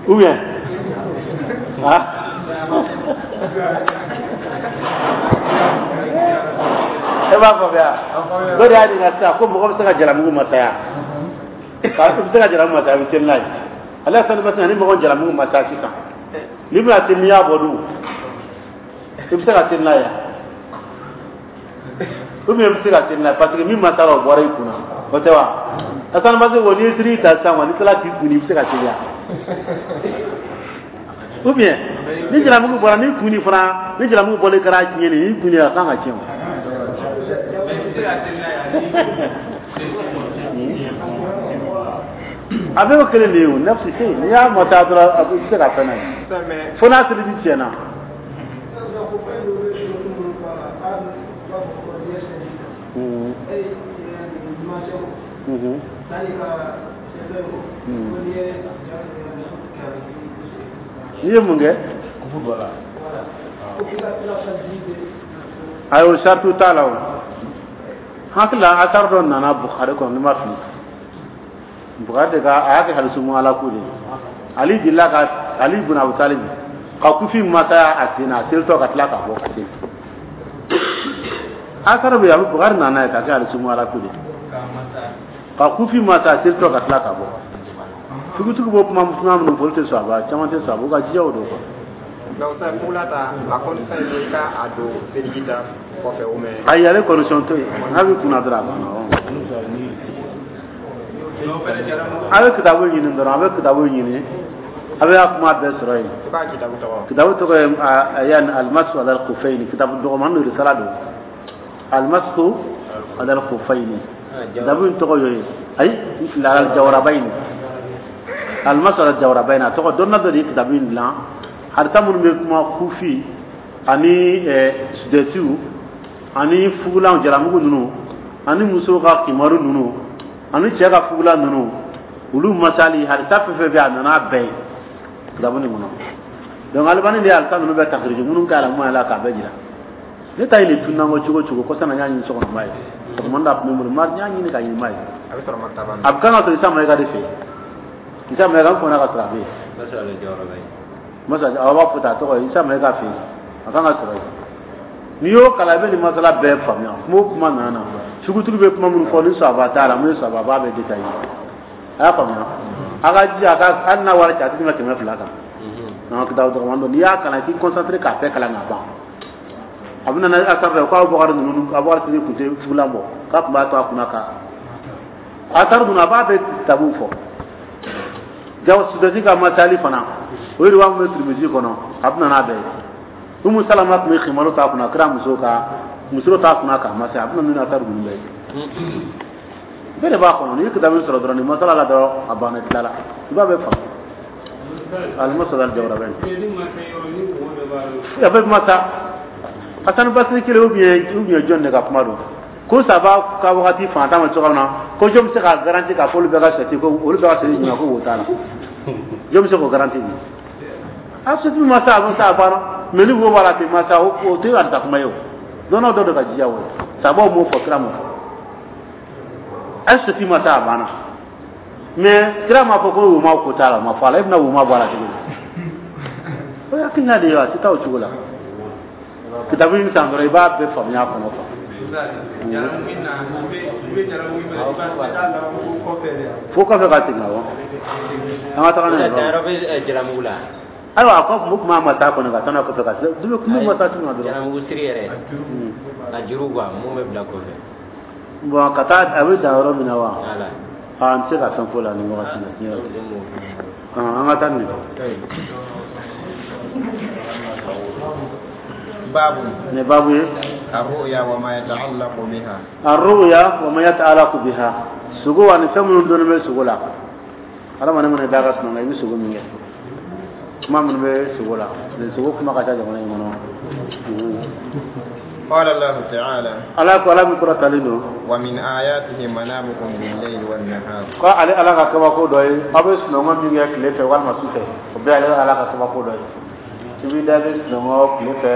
ou bien ah e b'a faamuya dɔ de y'a ɲininka sisan ko mɔgɔ bɛ se ka jalamugu masaya k'a bɛ se ka jalamugu masaya a bɛ seli n'a ye ale Hassan Basiri ni mɔgɔ jalamugu masaya sisan n'i bɛna seli n'i y'a bɔ dun i bɛ se ka seli n'a ye ou bien i bɛ se ka seli n'a ye parce que min masara o bɔra i kunna o tɛ wa Hassan Basiri ko n'i ye siri ta sisan wa n'i tilala k'i kun i bɛ se ka seli wa ou bien ni jalamugu bɔra n'i kun fana ni jalamugu bɔlen kɛra tiɲɛni ye n'i kun a kan ka tiɲɛ o. A bɛɛ y'o kelen de ye o nafsi se n'i y'a mata dɔrɔn a bɛ se ka fɛn n'a ye fo n'a seliji tiɲɛna. Mhm. Mhm. N'i ye mun kɛ? kufu don a la. Ayi, o sartu t'a la. O hakili la, asar dɔ nana Bukhari kɔnɔ, ni ma fili, Bukhari de ka a y'a kɛ hadisu mualaku de ye. Ali delila ka, Ali ibn Abu Talib ka kufi masaya a sen na, a selitɔ ka tila ka bɔ ka seli. Asar bɛ yen, a bɛ Bukhari nana ye ka kɛ hadisu mualaku de ye, ka kufi masa a selitɔ ka tila ka bɔ. Tugutigi b'o kuma kuma minnu fɔ, olu tɛ sɔn a ba caman tɛ sɔn a ba, u ka jija o don quoi. Donc sa fugula ta, a condition ye i ka a don seliji ta kɔfɛ ou bien? Ayi, ale condition to yen, n'a bɛ kunna dɔrɔn, a banna. A bɛ kitabu ɲini dɔrɔn, a bɛ kitabu ɲini, a bɛ a kuma bɛɛ sɔrɔ yen. I b'a kitabu tɔgɔ? Kitabu tɔgɔ ye yani المسح على الخفين. Kitabu dɔgɔman don, risala don, المسح على الخفين. Kitabu in tɔgɔ y'o ye. Ayi, n filila, الجوربين, المسح على الجوربين a tɔgɔ. Dɔnna dɔ de ye kitabu in dilan, hadisa minnu bɛ kuma kufi ani sudɛtiw ani fugulan jalamugu ninnu ani musow ka kimaru ninnu ani cɛ ka fugulan ninnu, olu masali, hadisa fɛn fɛn bɛ yen, a nana bɛɛ ye kitabu nin kɔnɔ. Donc Alibani de ye hadisa ninnu bɛɛ takiriji minnu k'a la mun la k'a bɛɛ jira. Ne ta ye nin tunna ko cogo cogo kɔsa na, n y'a ɲini so kɔnɔ, n b'a ye sɔgɔmada da tun bɛ n bolo, n y'a ɲini ka ɲini, n b'a ye. A bɛ sɔrɔ maktaba min? A bɛ kan ka sɔrɔ Isa Mayiga de fɛ yen. Isa Mayiga, n kɔnna ka sɔrɔ a bɛ yen. Masa aw b'a fɔ ten, a tɔgɔ ye Isa Mayiga fɛ yen, a kan ka sɔrɔ yen. N'i y'o kalan, i bɛ nin masala bɛɛ faamuya. Kuma o kuma nana na, sugutigi bɛ kuma minnu fɔ ni sɔaba t'a la, mun ye sɔaba b'a bɛɛ détaillé. A y'a faamuya, a ka jija a ka, hali n'a wari cɛ, a tɛ tɛmɛ kɛmɛ fila kan. N'an kitabu dɔgɔman don, n'i y'a kalan, k'i concentré k'a bɛɛ kalan ka ban, a bɛ na asar fɛ ko Abubakar ninnu, Abubakar Sidiki tun tɛ fugulan bɔ, k'a tun b'a to a kunna ka asar ninnu, a b'a bɛɛ kitabu fɔ. Jaw sudasi ka masali fana, o ye riwaya min bɛ Tirimizi kɔnɔ, a bɛ na n'a bɛɛ ye. Umu Salama tun bɛ khimaru t'a kunna, kira muso ka muso t'a kunna k'a masa, a bɛ na ni asar ninnu bɛɛ ye. Bɛɛ de b'a kɔnɔ. N'i ye kitabu sɔrɔ dɔrɔn, nin masala la dɔrɔn, a banna, tila la, i b'a bɛɛ faamu. المسح على الجوربين a bɛ masa. Hasan Basiri kelen ou bien ou bien jɔn de ka kuma don ko saba ka wagati fantan ma cogo min na, ko jɔn bɛ se ka garanti k'a fɔ olu bɛɛ ka sɛti, ko olu bɛɛ ka sɛti ɲuman, ko wo t'a la? Jɔn bɛ se k'o garanti di? A sɛti masa, a masa, a banna. Mais ni wo b'a la ten, masa, o o tɛ alisa kuma ye. O dɔnna dɔ de ka jija o ye, sabaw m'o fɔ, kira m'o fɔ. A sɛti masa, a banna. Mais kira m'a fɔ ko wo ma ko t'a la, o ma fɔ a la. E bɛna wo ma bɔ a la cogo di? O ye hakilina de ye wa, a tɛ taa o cogo la. Kitabu in san dɔrɔn, i b'a bɛɛ faamuya a kɔnɔ quoi. Fo kɔfɛ ka segin, awɔ, an ka taga n'a ye. Danyɔrɔ bɛ jalamugu la. Ayiwa, a ko kun ma taa kɔnɔ ka taa n'a kɔfɛ ka se du kun bɛ masa tun na dɔrɔn. Jalamugu siri yɛrɛ, a juru quoi, mun bɛ bila kɔfɛ. Bon, ka taa a bɛ dan yɔrɔ min na wa? Voilà. Aa, n tɛ se ka fɛn fɔ la nin wagati la, tiɲɛ yɛrɛ la. An ka taa nin. باب. Nin babu ye. الرؤيا وما يتعلق بها. الرؤيا وما يتعلق بها, sugo ani fɛn minnu donnen bɛ sugo la. Hadamaden mana da ka sunɔgɔ, i bɛ sugo min kɛ, kuma minnu bɛ sugo la, nin sugo kuma ka ca jamana in kɔnɔ. قال الله تعالى: Ala ko, Ala min kɔrɔtalen don: ومن آياته منامكم بالليل والنهار. Ko ale Ala ka kabako dɔ ye aw bɛ sunɔgɔ min kɛ tile fɛ walima su fɛ, o bɛɛ ale Ala ka kabako dɔ ye. I b'i da, i bɛ sunɔgɔ tile fɛ,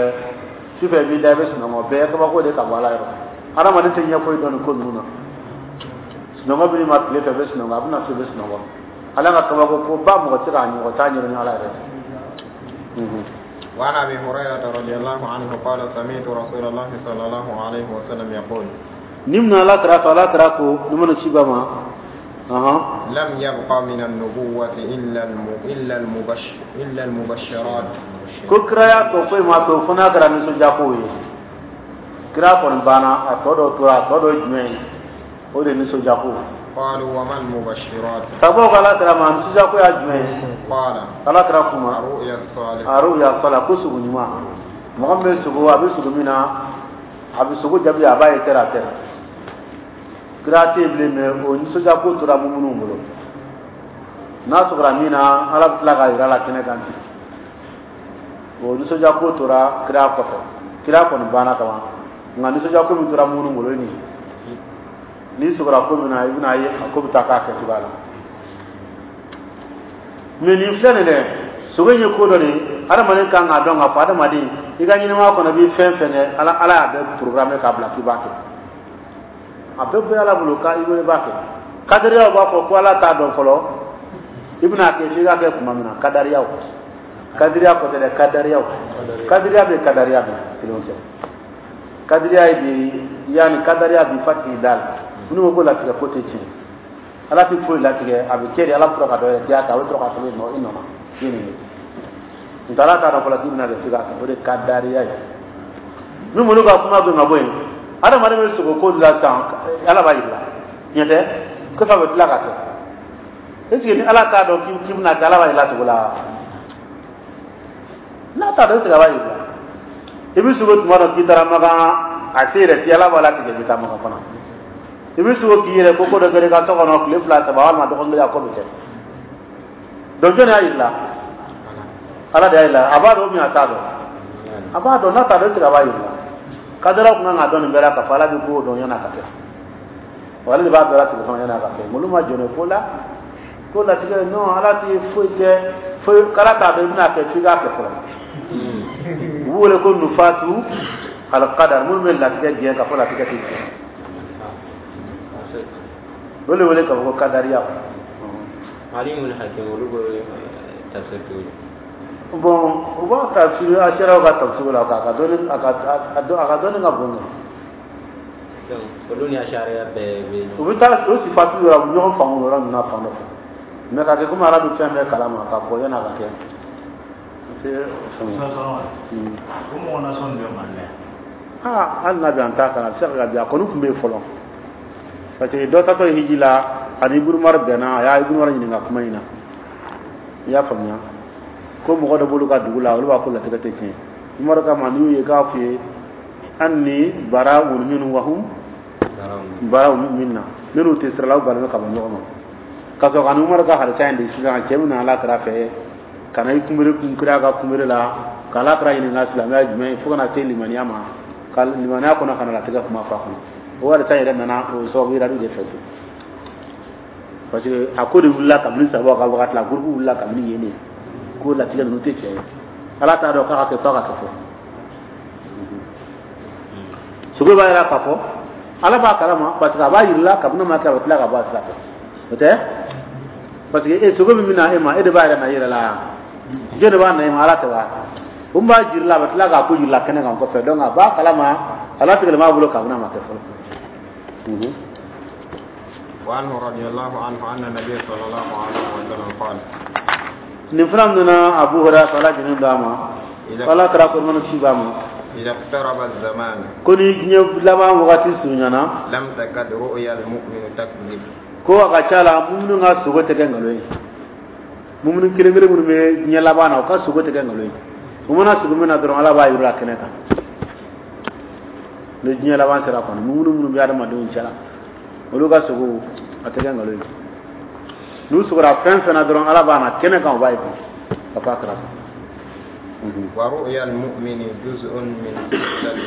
su fɛ i b'i da, i bɛ sunɔgɔ, bɛɛ ye kabako de ka bɔ Ala yɔrɔ. Hadamaden tɛ ɲɛ foyi dɔn nin ko ninnu na. Sunɔgɔ bɛ ma tile fɛ, i bɛ sunɔgɔ, a bɛna so, i bɛ sunɔgɔ. Ala ka kabako ko ba, mɔgɔ tɛ se k'a ɲɔgɔn t'a ɲɛdɔn ni Ala yɛrɛ ye. وعن ابي هريره رضي الله عنه قال: سمعت رسول الله صلى الله عليه وسلم يقول: Ni mun Ala kira fɛ, Ala kira ko ni mana ci ba ma ahan: لم يبق من النبوة إلا الم... إلا المبش... إلا المبشرات. Ko kiraya tɔ foyi ma to fo n'a kɛra nisɔndiya kow ye. Kira kɔni banna, a tɔ dɔ tora. A tɔ dɔ ye jumɛn ye? O de ye nisɔndiya ko. قالوا: وما المبشرات؟ Sababu ko Ala kira ma, nisɔndiya ko y'a jumɛn ye? قال: Ala kira kuma: الرؤيا الصالحة. الرؤيا الصالحة, ko sugo ɲuman. Mɔgɔ min bɛ sugo, a bɛ sugo min na, a bɛ sugo jaabi, a b'a ye terre à terre. Kira tɛ yen bilen, mais o nisɔndiya ko tora minnu bolo, n'a sɔgɔra min na, Ala bɛ tila k'a yira a la kɛnɛ kan ten. O nisɔndiya ko tora kira kɔfɛ. Kira kɔni banna ka ban, nka nisɔndiya ko min tora minnu bolo, ye nin ye. N'i sɔgɔra ko min na, i bɛna ye a ko bɛ taa k'a kɛcogoya la. Mais nin filɛ nin dɛ, sogo in ye ko dɔ de ye. Adamaden kan k'a dɔn k'a fɔ adamaden i ka ɲɛnamaya kɔnɔ i bɛ fɛn fɛn kɛ, ala ala y'a bɛɛ programme k'a bila k'i b'a kɛ. A bɛɛ bɛ ala bolo k'a i bolo i b'a kɛ. Kadariyaw b'a fɔ ko ala t'a dɔn fɔlɔ, i bɛna kɛ f'i k'a kɛ tuma min na. Kadariyaw, kadiriya kɔ tɛ dɛ, kadariyaw, kadiriya bɛ, kadariya bɛ kelenw tɛ. Kadiriya ye bi yanni kadariya bi fati da la, minnu ko ko latigɛ ko tɛ tiɲɛ, ala tɛ foyi latigɛ, a bɛ kɛ de, ala bɛ sɔrɔ ka dɔ yɛrɛ diya kan, a bɛ sɔrɔ ka sɛbɛn i nɔ i nɔ na i ye nin ye. Nka ala t'a dɔn fɔlɔ k'i bɛna kɛ f'i k'a kɛ, o de ye kadariya ye. Min bolo ka kuma gɛn ka bɔ yen, adamaden bɛ sogo ko la sisan, ala b'a yira ɲɛ tɛ kɔfɛ a bɛ tila ka kɛ. Est ce que ni ala t'a dɔn k'i bɛna kɛ, ala b'a yira sogo la? N'a t'a dɔn, est ce que a b'a yira? I bɛ sogo tuma dɔ k'i taara Makan, a se yɛrɛ ti, ala b'a latigɛ i bɛ taa Makan fana. I bɛ sogo k'i yɛrɛ ko ko dɔ kɛra i ka so kɔnɔ tile fila saba walima dɔgɔkun kelen, a ko bɛ kɛ. Donc jɔnni y'a yira? Ala de y'a yira. A b'a dɔn min a t'a dɔn, a b'a dɔn. N'a t'a dɔn, est ce que a b'a yira? Kadaraw kun kan k'a dɔn nin bɛɛ la k'a fɔ ala bɛ ko dɔn yan'a ka kɛ, wa ale de b'a bɛɛ latigɛ fana yan'a ka kɛ. Olu ma jɔn ko la ko latigɛ non, ala tɛ foyi kɛ foyi k'ala t'a dɔn i bɛna kɛ f'i k'a kɛ fɔlɔ. U b'u wele ko nufatu alqadar, minnu bɛ latigɛ gɛn k'a fɔ latigɛ tɛ tiɲɛ, o de wele k'a fɔ ko kadariya. Alimul Hakim, olu bɛ tafsir cogo di? Bon, u b'a tafsir asiraw ka tafsir la, k'a ka dɔnni a ka a ka dɔnni ka bon. Donc olu ni asariya bɛɛ bɛ U bɛ taa o sifatu yɔrɔ, u bɛ ɲɔgɔn faamu o yɔrɔ ninnu na fan dɔ fɛ, mais ka kɛ komi ala bɛ fɛn bɛɛ kalama ka bɔ yan'a ka kɛ. O mɔgɔ nasɔn bɛ Mali la? Aa, hali n'a bɛ an t'a kan, a bɛ se ka kɛ a kɔni tun bɛ yen fɔlɔ, parce que dɔ tatɔ ye hiji la, ani Ibunu Umar bɛnna, a y'a Ibunu Umar ɲininka kuma in na. I y'a faamuya ko mɔgɔ dɔ b'olu ka dugu la, olu b'a ko latigɛ tɛ tiɲɛ. Umaru kama n'i y'u ye k'a f'i ye anni bara'un minhum wa hum bara'un minna, minnu tɛ sira la, u bannen ka bɔ ɲɔgɔn ma. Ka sɔrɔ ka ni Umaru ka hadisa in de sisan, cɛ min nana ala kira fɛ ka na i kunbere kun kira ka kunbere la, ka ala kira ɲininka silamɛya jumɛn ye, fo ka na se limaniya ma, ka limaniya kɔnɔ ka na latigɛ kuma fɔ a kɔnɔ. O hadisa yɛrɛ nana o sababu yira de fɛ ten, parce que a ko de wulila kabini sababu ka wagati la, groupe wulila kabini yen de ko latigɛ ninnu tɛ tiɲɛ ye, ala t'a dɔn k'a ka kɛ f'a ka kɛ fɔ. Sogo b'a yira k'a fɔ ala b'a kalama, parce que a b'a yirila kabini ma kɛ, a bɛ tila ka bɔ a sira fɛ. O tɛ, parce que e sogo min bɛ na e ma, e de b'a yɛrɛ na i yɛrɛ la, jɔn de b'a na e ma? Ala tɛ wa? O min b'a jirila, a bɛ tila k'a ko jirila kɛnɛ kan kɔfɛ. Donc a b'a kalama, ala tigɛlen b'a bolo kabini a ma kɛ fɔlɔ. وعنه رضي الله عنه أن النبي صلى الله عليه وسلم قال Nin fana nana Abu Hurairah, ala jinin d'a ma, ala kɛra ko mana ci b'a ma. إذا اقترب الزمان Ko ni diɲɛ laban wagati surunyana, لم تكد رؤيا المؤمن تكذب. Ko a ka ca la muminu ka sogo tɛ kɛ nkalon ye. Muminu kelen kelen minnu bɛ diɲɛ laban na, u ka sogo tɛ kɛ nkalon ye. U mana sogo min na dɔrɔn, ala b'a yir'u la kɛnɛ kan. Ni diɲɛ laban sera kɔni, muminu minnu bɛ adamadenw cɛla, olu ka sogo a tɛ kɛ nkalon ye. N'u sogora fɛn fɛn na dɔrɔn, ala b'a na kɛnɛ kan, u b'a ye ka fɔ a kɛra tan. ورؤيا المؤمن جزء من ستة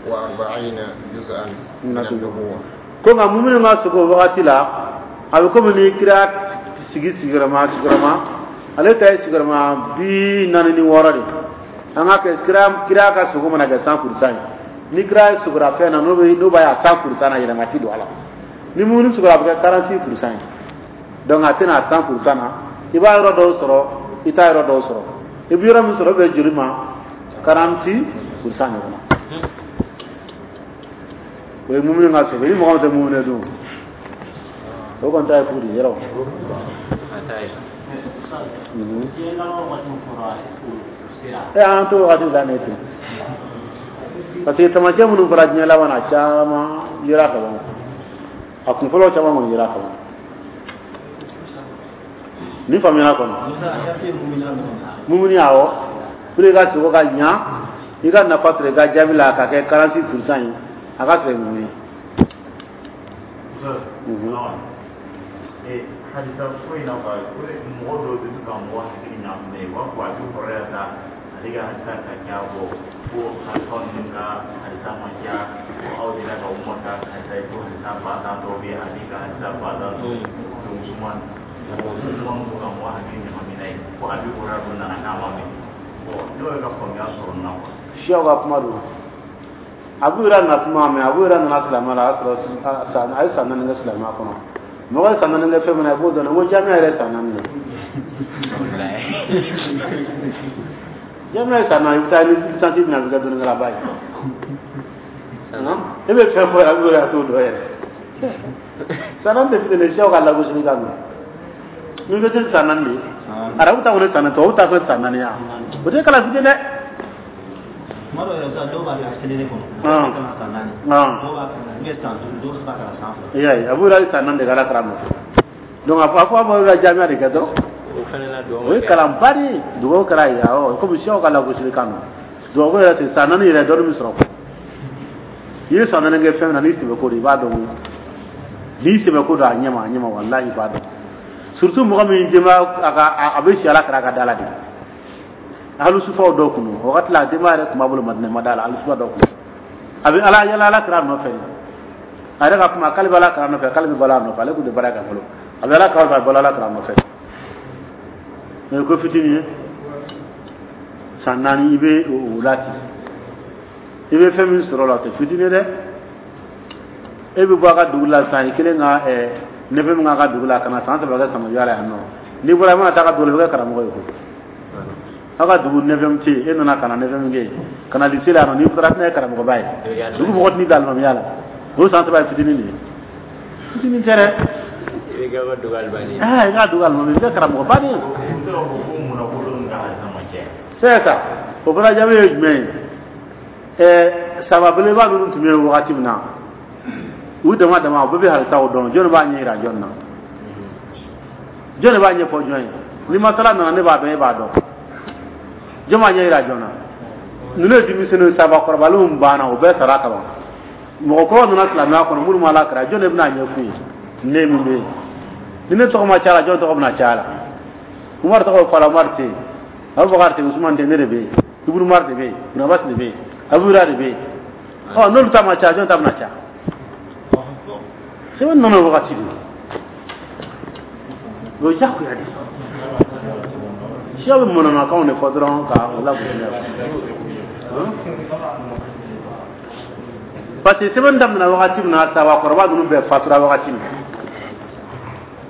وأربعين جزءا من النبوة. Ko nka muminu ka sogo wagati la, a bɛ komi ni kira sigi sigiyɔrɔma sigiyɔrɔma, ale ta ye sigiyɔrɔma bi naani ni wɔɔrɔ de. An ka kɛ kira kira ka sogo mana kɛ cent pour cent ye, ni kira sogora fɛn na, n'o bɛ n'o b'a ye a cent pour cent na, yɛlɛma ti don a la. Ni muminu sogora, a bɛ kɛ quarante-six pour cent ye. Donc a tɛna cent pour cent na. I b'a yɔrɔ dɔw sɔrɔ, i t'a yɔrɔ dɔw sɔrɔ. I bɛ yɔrɔ min sɔrɔ, o bɛ joli ma quarante-six pour cent ɲɔgɔn na. O ye muminu ka sogo. Ni mɔgɔ min tɛ muminu dun, o kɔni ta ye fu de ye yɔrɔ. A t'a ye. Diɲɛ laban waati min fɔra, est-ce que o sera? E, an t'o wagati la ne ten, parce que taamasiyɛn minnu fɔra diɲɛ laban na, caman yera ka ban. A kun fɔlɔ caman kɔni yera ka ban. Ni faamuyara kɔni, mumuni, awɔ, pour i ka sogo ka ɲa, i ka nafa sɔrɔ i ka jaabi la, ka kɛ quarante-six pour cent ye, a ka sɔrɔ mumuni. Mhm. Hadisa ko in na quoi, ko mɔgɔ dɔw bɛ to ka mɔgɔ hakili ɲagami n'a ye, u b'a fɔ a bɛ kɔrɔya ta, ale ka hadisa ka ca bɔ, ko hadisa ninnu ka hadisa man ca, ko aw delila ka Umar ka hadisa ye, ko hadisa ba tan dɔw bɛ yen, ale ka hadisa ba tan dɔw ko Usman, mɔgɔ Usman ko ka mɔgɔ hakili ɲagami n'a ye, ko a bɛ kɔrɔya dɔ nana k'a ma mɛn. Bon ne yɛrɛ ka faamuya sɔrɔ nin na quoi. Siyaw ka kuma don. Abu Hurairah na kuma mɛ Abu Hurairah nana silamɛya la, a y'a sɔrɔ san a ye san naani kɛ silamɛya kɔnɔ. Mɔgɔ ye san naani kɛ fɛn min na, i b'o dɔn. Ko jamiya yɛrɛ ye san naani de. Jamiya ye san naani, i bɛ taa ni licence bɛ na, i bɛ kɛ dɔnnikɛlaba ye. E bɛ fɛn fɔ Abu Hurairah t'o dɔn yɛrɛ. San naani tɛ fitinin ye, siyaw ka lagosili kan don. Université san naani de ye. Arabu ta kɔni san naani, tubabu ta fɛ san naani ya. O tɛ kalan fitinin dɛ. Tuma dɔw yɛrɛ sa, dɔw b'a kɛ C D D kɔnɔ. Ah. Dɔw b'a san naani. Ah. Dɔw b'a kɛ ou bien san duuru, dɔw bɛ se ka kalan san fila. I y'a ye, Abu Hurairah ye san naani de kɛ Ala kira nɔfɛ. Donc a fɔ a fɔ Abu Hurairah jamiya de kɛ dɔrɔn. O fana na dugawu O ye kalanba de ye. Dugawu kɛra yen, awɔ, komi siyaw ka lagosili kan don. Dugawu ko yɛrɛ tɛ san naani yɛrɛ dɔɔni bɛ sɔrɔ. I ye san naani kɛ fɛn min na, n'i sɛbɛ ko don, i b'a dɔn. N'i sɛbɛ ko don a ɲɛma, a ɲɛma, walahi i b'a dɔn. Surtout mɔgɔ min denbaya a ka a bɛ si Ala kira ka da la de. Alusufaw dɔw kun don. O wagati la a denbaya yɛrɛ tun b'a bolo Madinɛ ma da la, alusufa dɔw kun don. A bɛ ala yala Ala kira nɔfɛ. A yɛrɛ ka kuma k'ale bɛ Ala kira nɔfɛ, k'ale bɛ balo a nɔfɛ, ale kun tɛ baara kɛ fɔlɔ. A bɛ Ala kira nɔfɛ, a bɛ balo Ala kira nɔfɛ. Mais ko fitinin ye san naani, i bɛ o la ten. I bɛ fɛn min sɔrɔ o la, o tɛ fitinin ye dɛ. E bɛ bɔ a ka dugu la sisan, i kelen ka ɛɛ nɛfɛ min k'a ka dugu la, ka na san saba kɛ samiyɛ la yan nɔ. N'i bɔra, i mana taa a ka dugu la, i bɛ kɛ karamɔgɔ ye koyi. Aw ka dugu nɛfɛ tɛ yen, e nana ka na nɛfɛ min kɛ yen, ka na lycée la yan nɔ, n'i taara, tɛna kɛ karamɔgɔba ye. Dugu mɔgɔ tɛn'i bila alimamiya la. O san saba ye fitinin de ye. Fitinin tɛ dɛ. I bɛ kɛ ka dugu alimami. Aa, i ka dugu alimami, i bɛ kɛ karamɔgɔba de ye. U bɛ se k'a fɔ ko munna ko ninnu ka halisa ma caya. C'est ça. O fana jaabi ye jumɛn ye? Ɛɛ saba belebeleba ninnu tun bɛ yen wagati min na, u dama dama, u bɛɛ bɛ halisaw dɔn. Jɔn b'a ɲɛ yira jɔn na? Jɔn de b'a ɲɛfɔ jɔn ye? Ni masala nana, ne b'a dɔn, e b'a dɔn. Jɔn b'a ɲɛ yira jɔn na? Ninnu ye denmisɛnninw, sabakɔrɔbalenw banna, o bɛɛ sara kaban. Mɔgɔkɔrɔw nana silamɛya kɔnɔ, minnu ma Ala kira, jɔn de bɛna a ɲɛf'u ye? Ne min bɛ yen, ni ne tɔgɔ ma caya la, jɔn tɔgɔ bɛna caya la? Umaru tɔgɔ bɛ fɔ a la, Umaru tɛ yen, Abubakar tɛ yen, Usumani tɛ yen, ne de bɛ yen, Ibunu Umar de bɛ yen, Ibunu Abbas de bɛ yen, Abu Hurairah de bɛ yen. Ɔ, n'olu ta ma caya, jɔn ta bɛna caya? Sɛbɛn nana o wagati de, o ye diyagoya de ye. Siya bɛ manamanakanw de fɔ dɔrɔn ka o lagosi n'a ye. Parce que sɛbɛn daminɛna wagati min na, sabakɔrɔba ninnu bɛɛ fatura wagati min,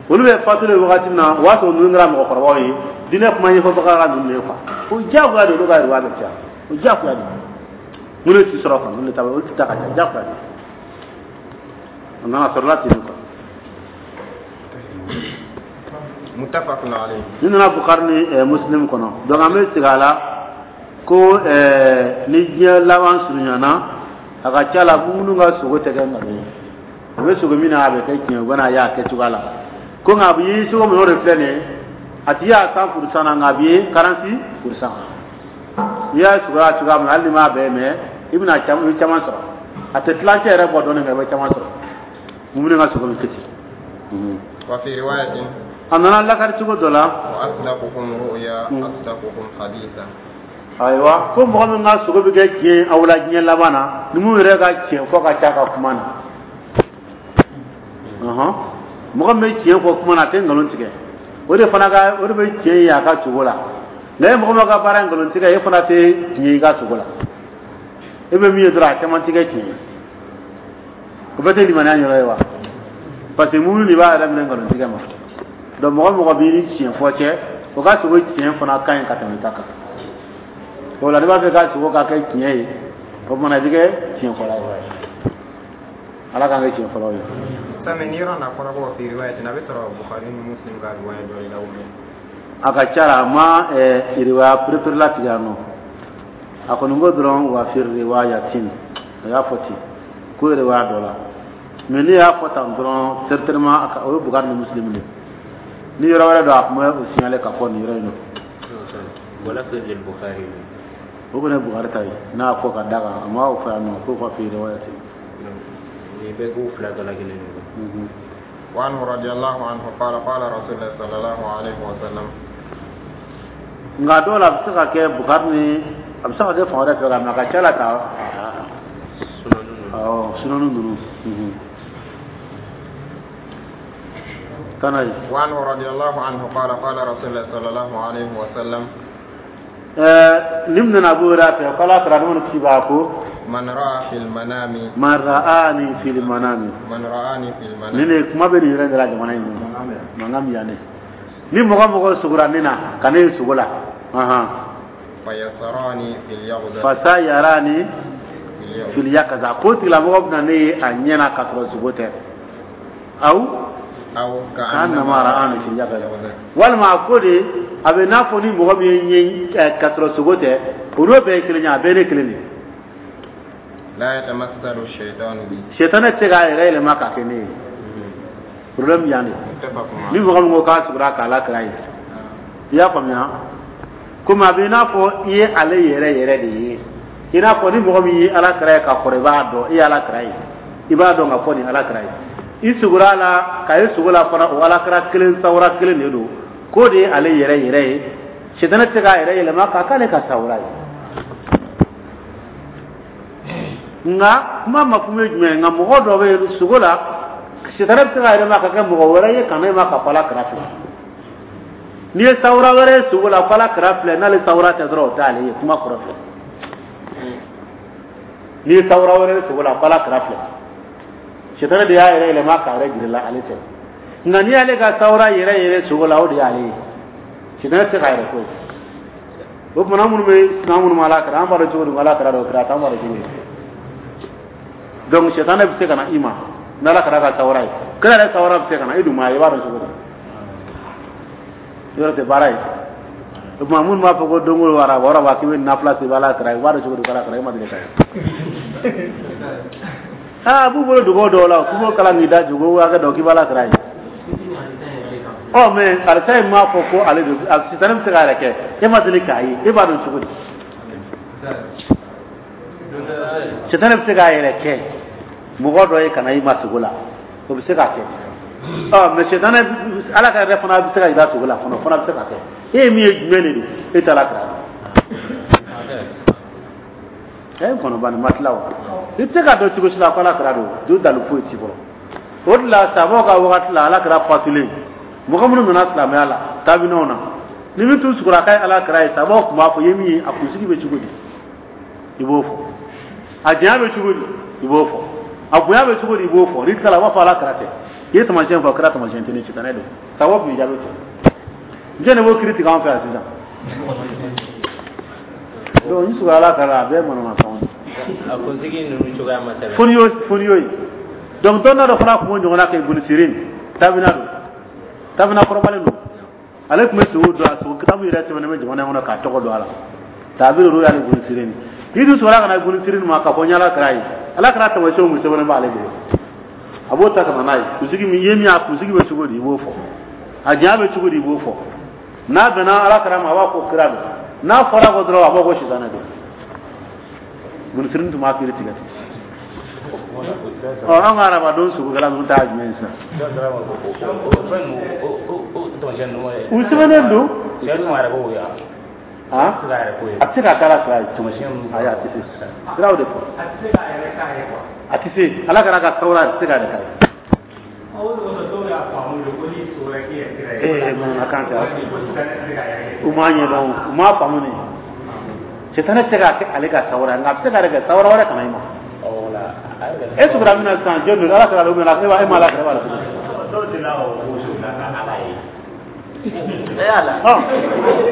olu bɛ fatulen wagati min na, o y'a sɔrɔ ninnu kɛra mɔgɔkɔrɔbaw ye, diinɛ kuma ɲɛfɔbaga ka ninnu de ye quoi. O diyagoya de, olu ka yiriwa bɛ caya, o diyagoya de. Minnu ti sɔrɔ kan, minnu ta olu ti taa ka ca, diyagoya de. A nana sɔrɔla ten quoi. Muttafaqun alayhi. Ni nana Bukhari ni eh, Muslim kɔnɔ. Donc an bɛ segin a la ko eh, ni diɲɛ laban surunyana, a ka ca la minnu ka sogo tɛ kɛ nkalon ye. U bɛ sogo min na, a bɛ kɛ tiɲɛ, u bɛna ye a kɛcogoya la. Ko nka a bɛ ye cogo min, o de filɛ nin ye. A tigi y'a cent pour cent na, nka a bɛ ye quarante-six pour cent. N'i y'a sogo a cogoya min na, hali n'i m'a bɛɛ mɛ, i bɛna caman, i bɛ caman sɔrɔ. A tɛ tilancɛ yɛrɛ bɔ dɔɔnin, nka i bɛ caman sɔrɔ. Mumini ka sogo bɛ kɛ ten. Wa fi riwayatin. A nana lakari cogo dɔ la. Wa asdaqukum ru'ya asdaqukum haditha. Ayiwa, ko mɔgɔ min ka sogo bɛ kɛ tiɲɛ aw la diɲɛ laban na, ni mun yɛrɛ ka tiɲɛ fɔ ka ca ka kuma na. Ɔhɔn. Mɔgɔ min bɛ tiɲɛ fɔ kuma na, a tɛ nkalon tigɛ. O de fana ka, o de bɛ tiɲɛ ye a ka sogo la. Nka e mɔgɔ min ka baara ye nkalon tigɛ, e fana tɛ tiɲɛ ye i ka sogo la. E bɛ min ye dɔrɔn, a caman tɛ kɛ tiɲɛ ye. O bɛɛ tɛ limaniya yɔrɔ ye wa? Parce que muminu de b'a yɛrɛ minɛ nkalon tigɛ ma. Donc mɔgɔ mɔgɔ b'i ni tiɲɛ fɔ cɛ, o ka sogo tiɲɛ fana ka ɲi ka tɛmɛ ta kan. O la n'i b'a fɛ ka sogo ka kɛ tiɲɛ ye, o tuma na i bɛ kɛ tiɲɛ fɔla ye. Ala k'an kɛ tiɲɛ fɔlaw ye. Sami ni yɔrɔ na fɔra ko fi riwayatin, a bɛ sɔrɔ Bukhari ni Muslim ka riwaya dɔ de la ou bien? A ka ca la, a ma riwaya perepere latigɛ yan nɔ. A kɔni ko dɔrɔn wa fi riwayatin, a y'a fɔ ten ko riwaya dɔ la. Mais ne y'a fɔ tan dɔrɔn, certainement o ye Bukhari ni Muslim de ye. Ni yɔrɔ wɛrɛ don, a tun bɛ o signaler ka fɔ nin yɔrɔ in na. Wala fi Bukhari. O kɔni ye Bukhari ta ye, n'a y'a fɔ ka da kan, a ma o fɔ yan nɔ ko fa fi riwayatin. Nin bɛɛ k'u fila dɔ la kelen de. Wa anhu radiyallahu anhu qala qala rasulullah sallallahu alaihi wa sallam. Nka dɔw la, a bɛ se ka kɛ Bukhari ni, a bɛ se ka kɛ fan wɛrɛ fɛ, nka a ka ca la ka awɔ, sunanu ninnu. Kana ye. Wa anhu radiyallahu anhu qala qala rasulullah sallallahu alaihi wa sallam. Nin nana Abu Hurairah fɛ k'Ala kira nɛɛma ni kisi b'a ko man ra'a fil manami man ra'ani fil manami man ra'ani fil manami nin de kuma bɛ nin yɛrɛ de la jamana in kɔnɔ mankan bɛ yan de ni mɔgɔ mɔgɔ sugora ne na ka ne ye sugo la fayasarani fil yaqza fasayarani fil yaqza ko tigilamɔgɔ bɛna ne ye a ɲɛ na k'a sɔrɔ sugo tɛ aw aw ka'annama ra'ani fil yaqza walima a ko de a bɛ n'a fɔ ni mɔgɔ min ye ɲɛ k'a sɔrɔ sogo tɛ o n'o bɛɛ ye kelen ye a bɛɛ ne kelen de ye. La yatamassalu shaytanu bi Sɛtanɛ tɛ se k'a yɛrɛ yɛlɛma k'a kɛ ne ye problème yan de ni mɔgɔ min ko k'a sugora k'ala kira ye i y'a faamuya komi a bɛ i n'a fɔ i ye ale yɛrɛ yɛrɛ de ye i n'a fɔ ni mɔgɔ min ye ala kira ye ka kɔrɔ i b'a dɔn i ye ala kira ye i b'a dɔn ka fɔ nin ala kira ye i sugora a la k'a ye sugo la fana o ala kira kelen sawura kelen de don k'o de ye ale yɛrɛ yɛrɛ ye sɛtanɛ tɛ se k'a yɛrɛ yɛlɛma k'a k'ale ka sawura ye nka kuma ma kun ye jumɛn ye nka mɔgɔ dɔ bɛ yen sugo la sitanɛ bɛ se k'a yɛlɛma ka kɛ mɔgɔ wɛrɛ ye ka na e ma ka fɔ ala kira filɛ n'i ye sawura wɛrɛ ye sugo la fɔ ala kira filɛ n'ale sawura tɛ dɔrɔn o t'ale ye kuma kɔrɔ filɛ n'i ye sawura wɛrɛ ye sugo la fɔ ala kira filɛ sitanɛ de y'a yɛrɛ yɛlɛma k'a yɛrɛ jira la ale tɛ nka n'i y'ale ka sawura yɛrɛ yɛrɛ sugo la o de y'ale ye sitanɛ tɛ se k'a yɛrɛ ko ye o tuma minnu bɛ sina minnu ma ala kira an b'a dɔn cogo di ko ala kira dɔ kira t'an b'a dɔn cogo di donc sitanɛ bɛ se ka na i ma n'ala kɛra ka sawura ye kira yɛrɛ sawura bɛ se ka na i dun ma ye i b'a dɔn cogo di yɔrɔ tɛ baara ye o tuma minnu b'a fɔ ko don o araba araba k'i bɛ nafila se i bɛ ala kira ye i b'a dɔn cogo di ko ala kira e ma deli ka ye aa a b'u bolo dugawu dɔw la k'u b'o kalan k'i da jugu hakɛ dɔn k'i bɛ ala kira ye ɔ mais alisa in m'a fɔ ko ale don sitanɛ bɛ se k'a yɛrɛ kɛ e ma deli k'a ye e b'a dɔn cogo di sitanɛ bɛ se k'a yɛrɛ kɛ mɔgɔ dɔ ye ka na i ma sogo la o bɛ se k'a kɛ ɔ mais sitanɛ ala ka yɛrɛ fana bɛ se ka yira sogo la fana o fana bɛ se ka kɛ e ye min ye jumɛn de don e t'a la kira dɔn ɛ n kɔnɔ bani ma tila o i tɛ se k'a dɔn cogo si la ko ala kira don don dalu foyi t'i bolo o de la sabaw ka wagati la ala kira fatulen mɔgɔ minnu nana silamɛya la taabinaw na ni min tun sugora k'a ye ala kira ye sabaw tun b'a fɔ i ye min ye a kunsigi bɛ cogo di i b'o fɔ a janya bɛ cogo di i b'o fɔ a bonya bɛ cogo di i b'o fɔ n'i tilala a b'a fɔ ala kira tɛ i ye taamasiyɛn fɔ kira taamasiyɛn tɛ ne sitanɛ don sababu tun bɛ jaabi ten jɔn de b'o kiiri tigɛ an fɛ yan sisan donc n sugora ala kira a bɛɛ ye manamafɛnw ye a kunsigi ninnu cogoya ma sɛbɛn fo n'i y'o fo n'i y'o ye donc dɔnna dɔ fana tun b'o ɲɔgɔnna kɛ Ibn Sirin tabina don tabina kɔrɔbalen don ale tun bɛ sogo dɔn a sogo kitabu yɛrɛ sɛbɛnnen bɛ jamana in kɔnɔ k'a tɔgɔ don a la taabiri olu y'ale Ibn Sirin n'i dun sɔrɔla ka na Ibn Sirin ma k'a fɔ n ye ala kira ye ala kira taamasiyɛnw mun sɛbɛnnen b'ale bolo a b'o ta ka na n'a ye kunsigi min ye min ye a kunsigi bɛ cogo di i b'o fɔ a janya bɛ cogo di i b'o fɔ n'a bɛnna ala kira ma a b'a fɔ kira don n'a fɔra ko dɔrɔn a b'a fɔ ko sitanɛ don Ibn Sirin tun b'a kiiri tigɛ ten ɔ an ka hadamadenw sogokɛla ninnu ta ye jumɛn ye sisan u sɛbɛnnen don a tɛ se ka kɛ ala kira ye ayi a tɛ se siraw de fɔ a tɛ se ala kɛra ka sawura a tɛ se k'a yɛrɛ k'a ye ee manamanakan tɛ u m'a ɲɛdɔn u m'a faamu de sitanɛ tɛ se k'a kɛ ale ka sawura ye nka a bɛ se k'a yɛrɛ kɛ sawura wɛrɛ kana i ma e sugura min na sisan jɔn don ala kɛra don min na e ma ala kɛra e b'a la cogo di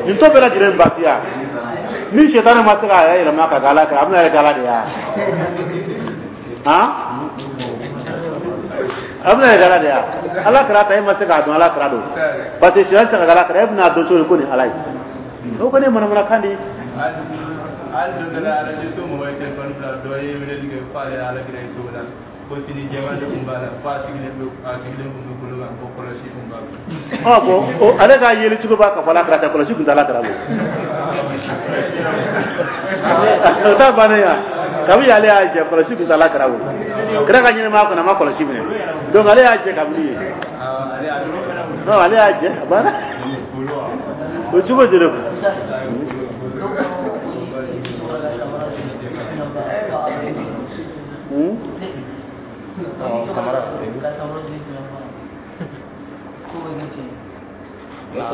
nin to bɛɛ lajɛlen baasiya ni sitanɛ ma se k'a yɛrɛ yɛlɛma ka kɛ ala kɛra a bɛna yɛrɛ kɛ ala de ye wa a bɛna yɛrɛ kɛ ala de ye wa ala kɛra ta e ma se k'a dɔn ala kɛra don parce que sitanɛ tɛ se ka kɛ ala kɛra e bɛna dɔn cogo di ko nin ala ye o kɔni ye manamanakan de ye. Hali don dɔ la arajo so mɔgɔ ye telefɔni bila dɔ ye weleli kɛ k'ale ye ala kira ye cogo la ko fini jɛman de tun b'a la ko a sigilen bɛ a sigilen tun bɛ kolo kan ko kɔlɔsi tun b'a bolo. Ɔ bɔn o ale ka yeli cogo b'a ka fɔ ala kira tɛ kɔlɔsi tun tɛ ala kira bolo. O t'a bannen ya kabi ale y'a jɛ kɔlɔsi tun tɛ ala kira bolo kira ka ɲɛnɛmaya kɔnɔ a ma kɔlɔsi minɛ donc ale y'a jɛ kabini ye non ale y'a jɛ a banna o cogo de don. Hmm?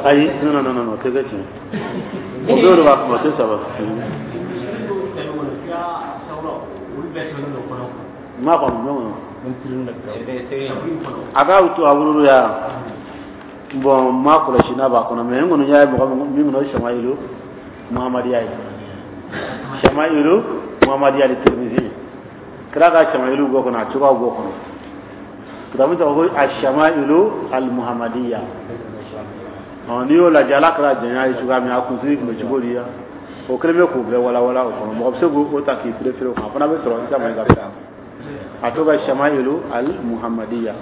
Ayi, non non non non, tɛ kɛ tiɲɛ. O bɛɛ de b'a kuma, tɛ saba. N m'a faamu ɲɔgɔn kɔnɔ. A k'a to a wolo ya. Bon, n m'a kɔlɔsi n'a b'a kɔnɔ, mais n kɔni y'a ye mɔgɔ min kɔnɔ, o ye Samayilu Muhamadiya ye. Samayilu Muhamadiya de Tirimizi. Kira ka Samayilu bɔ kɔnɔ, a cogoyaw b'o kɔnɔ. Kitabu tɔgɔ ko Ashamailu al-Muhammadiyya. Ɔ, n'i y'o lajɛ, ala kɛra janya ye cogoya min, a kunsigi tun bɛ cogo di ya, o kelen bɛ k'o bɛɛ walawala o kɔnɔ. Mɔgɔ bɛ se k'o ta k'i préféré o kan, a fana bɛ sɔrɔ Isa Mayiga fɛ. A tɔgɔ Shamailu al-Muhammadiyya.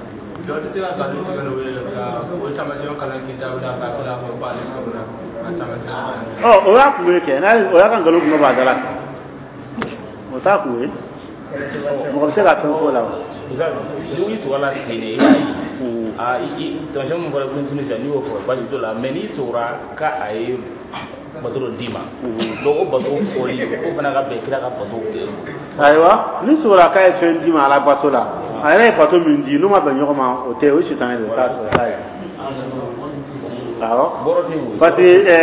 Dɔ tɛ se ka nkalon tigɛ n'o ye ka o taamasiyɛnw kalan kitabu la k'a tila fɔ k'ale sɔrɔla a taamasiyɛnw. Ɔ, o y'a kun ye kɛ n'a o y'a ka nkalon kun b'a da la, o t'a kun ye, mɔgɔ bɛ se ka fɛn fɔ o la o. N'i tugula ten de, i b'a ye aa, i taamasiyɛn min fɔra ko sisan, n'i y'o fɔ baasi t'o la, mais n'i tugura k'a ye bato dɔ d'i ma, donc o bato fɔli, o fana ka bɛn kira ka bato. Ayiwa, ni sɔrɔla k'a ye fɛn d'i ma ala bato la, a yɛrɛ ye bato min di, n'u ma bɛn ɲɔgɔn ma, o tɛ o ye sitanɛ de ye, o t'a o t'a ye. Awɔ, parce que ɛɛ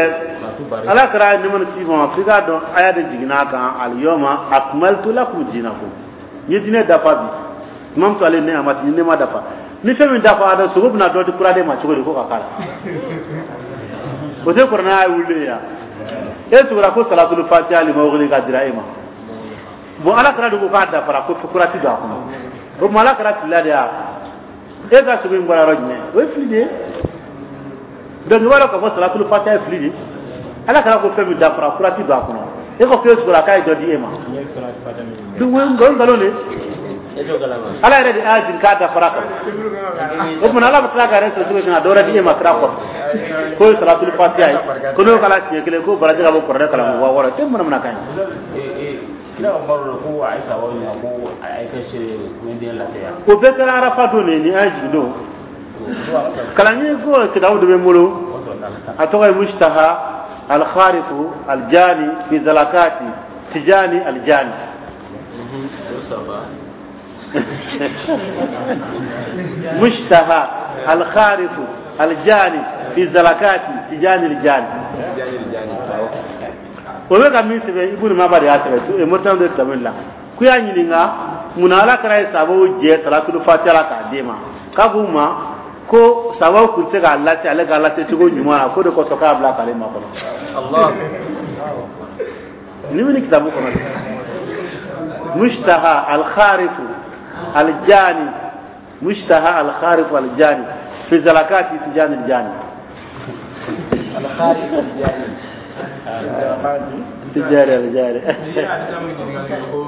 ala kɛra nɛɛma ni kisi ma, f'i k'a dɔn aya de jiginna a kan: "Al-yawma akmaltu lakum dinakum", n ye diinɛ dafa bi. Tuma min to ale ne a ma ne ma dafa ni fɛn min dafa, a dɔn sogo bɛna dɔ di kura de ma cogo di ko ka k'a la, o tɛ kuranɛ y'a wuli ya. E sugora ko salatul fatiha lima wuli ka dira e ma. Bon, ala kɛra de ko k'a dafara, ko kura ti don a kɔnɔ. O tuma ala kɛra filila de ya, e ka sogo in bɔra yɔrɔ jumɛn? O ye fili de ye. Donc i b'a dɔn k'a fɔ salatul fatiha ye fili de ye. Ala kɛra ko fɛn min dafara, kura ti don a kɔnɔ, e ko k'e sugora k'a ye dɔ di e ma, donc o ye nkalon de ye. Ala yɛrɛ de y'a jigin k'a dafara kan. O tuma ala bɛ tila ka yɛrɛ sɔrɔ cogo min na, dɔ wɛrɛ di e ma kira kɔfɛ k'o ye salatul fatiha ye, ko n'o kɛra siɲɛ kelen, ko baraji ka bɔ kuranɛ kalan wa wɔɔrɔ tɛ manamanakan ye. Kira ka baro la ko a ye sababu ɲininka ko a ye kɛ seere ko n den lafiya. O bɛɛ kɛra arafa don de, ni an ye jigin don. Kalanɲini ko kitabu dɔ bɛ n bolo, a tɔgɔ ye Mustaha al-Kharifu al-Jani fi zalakati Tijani al-Jani. Mustaha al-Kharifu al-Jani fi zalakati Tijani al-Jani. O bɛ ka min sɛbɛn, Ibunu Maba de y'a sɛbɛn, Mauritanie de kitabu la. K'u y'a ɲininka munna ala kɛra ye sababu jɛ salatul fatiha la k'a d'e ma, k'a k'u ma ko sababu tun tɛ se k'a lase ale k'a lase cogo ɲuman na, k'o de kosɔn k'a bila k'ale makɔnɔ. Ni bɛ nin kitabu kɔnɔ dɛ, Mustaha al-Kharifu al-Jani, Mustaha al-Kharifu al-Jani fi zalakati Tijani al-Jani. Al-Kharifu al-Jani. Tijani al-Jani. N'i ye hadisa min ɲininkali kɛ ko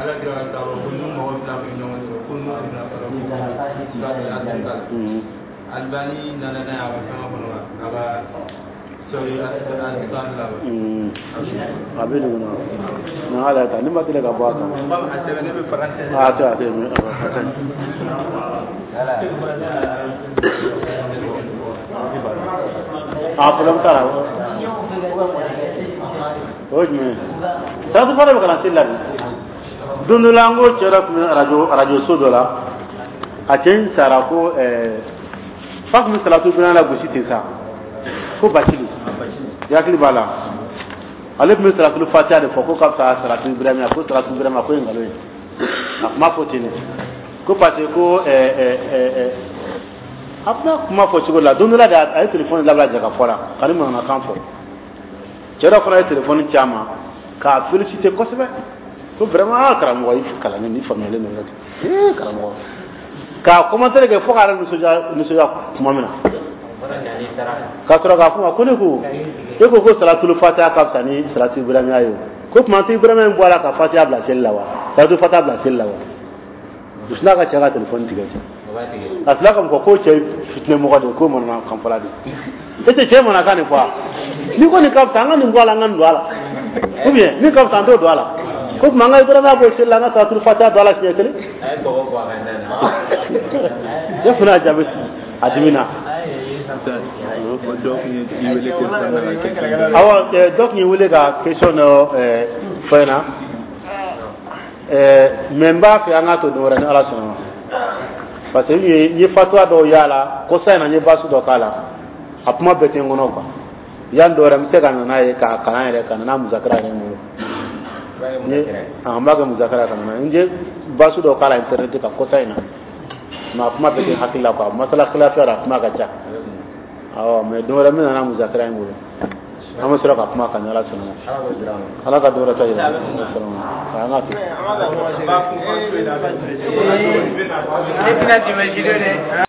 ala kira ka sababu ko n'u mɔgɔ fila bɛ ɲɔgɔn sɔrɔ, ko n'u fila sɔrɔ ko Albani nana n'a ye a ka fɛngɛ kɔnɔ wa, a ka sɔrɔ hadisa la wa. A bɛ nin kɔnɔ na, ala ta ni ma deli ka bɔ a kan. A sɛbɛnnen bɛ faransɛ. A tɛ a tɛ a tɛ. A problème t'a la. O ye jumɛn ye? Salatu fatiha bɛ kalan seli la de. Don dɔ la, n ko cɛ dɔ tun bɛ arajo arajo so dɔ la, a cɛ in sara, ko ɛɛ fa tun bɛ salatu bina la gosi ten sa, ko Bacili, i hakili b'a la, ale tun bɛ salatu fatiha de fɔ ko ka fisa salatu ibrahima, ko salatu ibrahima ko ye nkalon ye. A kuma fɔ ten de ko parce que ko ɛɛ ɛɛ ɛɛ a bɛna kuma fɔ cogo la. Don dɔ la de, a ye telefɔni labila jɛ ka fɔ la ka ni manamanakan fɔ. Cɛ dɔ fana ye telefɔni ci a ma k'a félicité kosɛbɛ ko vraiment, aa karamɔgɔ, i kalannen, i faamuyalen don ee karamɔgɔ, k'a commentaire kɛ fo k'a yɛrɛ nisɔndiya nisɔndiya tuma min na, ka sɔrɔ k'a fɔ ma ko ne ko e ko ko salatul fatiha ka fisa ni salatu ibrahimiya ye, o ko tuma tɛ ibrahima in bɔ a la ka fatiha bila seli la wa, salatu fatiha bila seli la wa. U sinna ka cɛ ka telefɔni tigɛ ten. A tila ka fɔ ko cɛ fitinɛ mɔgɔ de ye, ko manamanakan fɔla de. E tɛ cɛ manamanakan de fɔ wa? Ni ko nin ka fisa, an ka nin bɔ a la, an ka nin don a la, ou bien min ka fisa, an t'o don a la, ko tuma an ka ibrahima bɔ seli la, an ka salatul fatiha don a la siɲɛ kelen. Ne fana y'a jaabi a dimina. Awɔ, dɔ tun ye wele ka question dɔ fɔ n ɲɛna, mais n b'a fɛ an k'a to don wɛrɛ ni ala sɔnna ma, parce que n ye n ye fatuwa dɔw y'a la kɔsa in na, n ye baasi dɔ k'a la. A kuma bɛɛ tɛ n kɔnɔ quoi. Yan dɔ wɛrɛ n bɛ se ka na n'a ye k'a kalan yɛrɛ, ka na n'a muzakara yɛrɛ n bolo. An b'a kɛ muzakara ka na n'a ye. N ye basu dɔ k'a la internet kan kɔsa in na, mais a kuma bɛɛ tɛ n hakili la quoi. Masala khilafiya la, a kuma ka ca. Awɔ, mais don wɛrɛ n bɛ na n'a muzakara ye n bolo, an bɛ sɔrɔ ka kuma kan, ni Ala sɔnna. Ala ka dɔ wɛrɛ ta yira. An ka to. Ne tɛna tɛmɛ.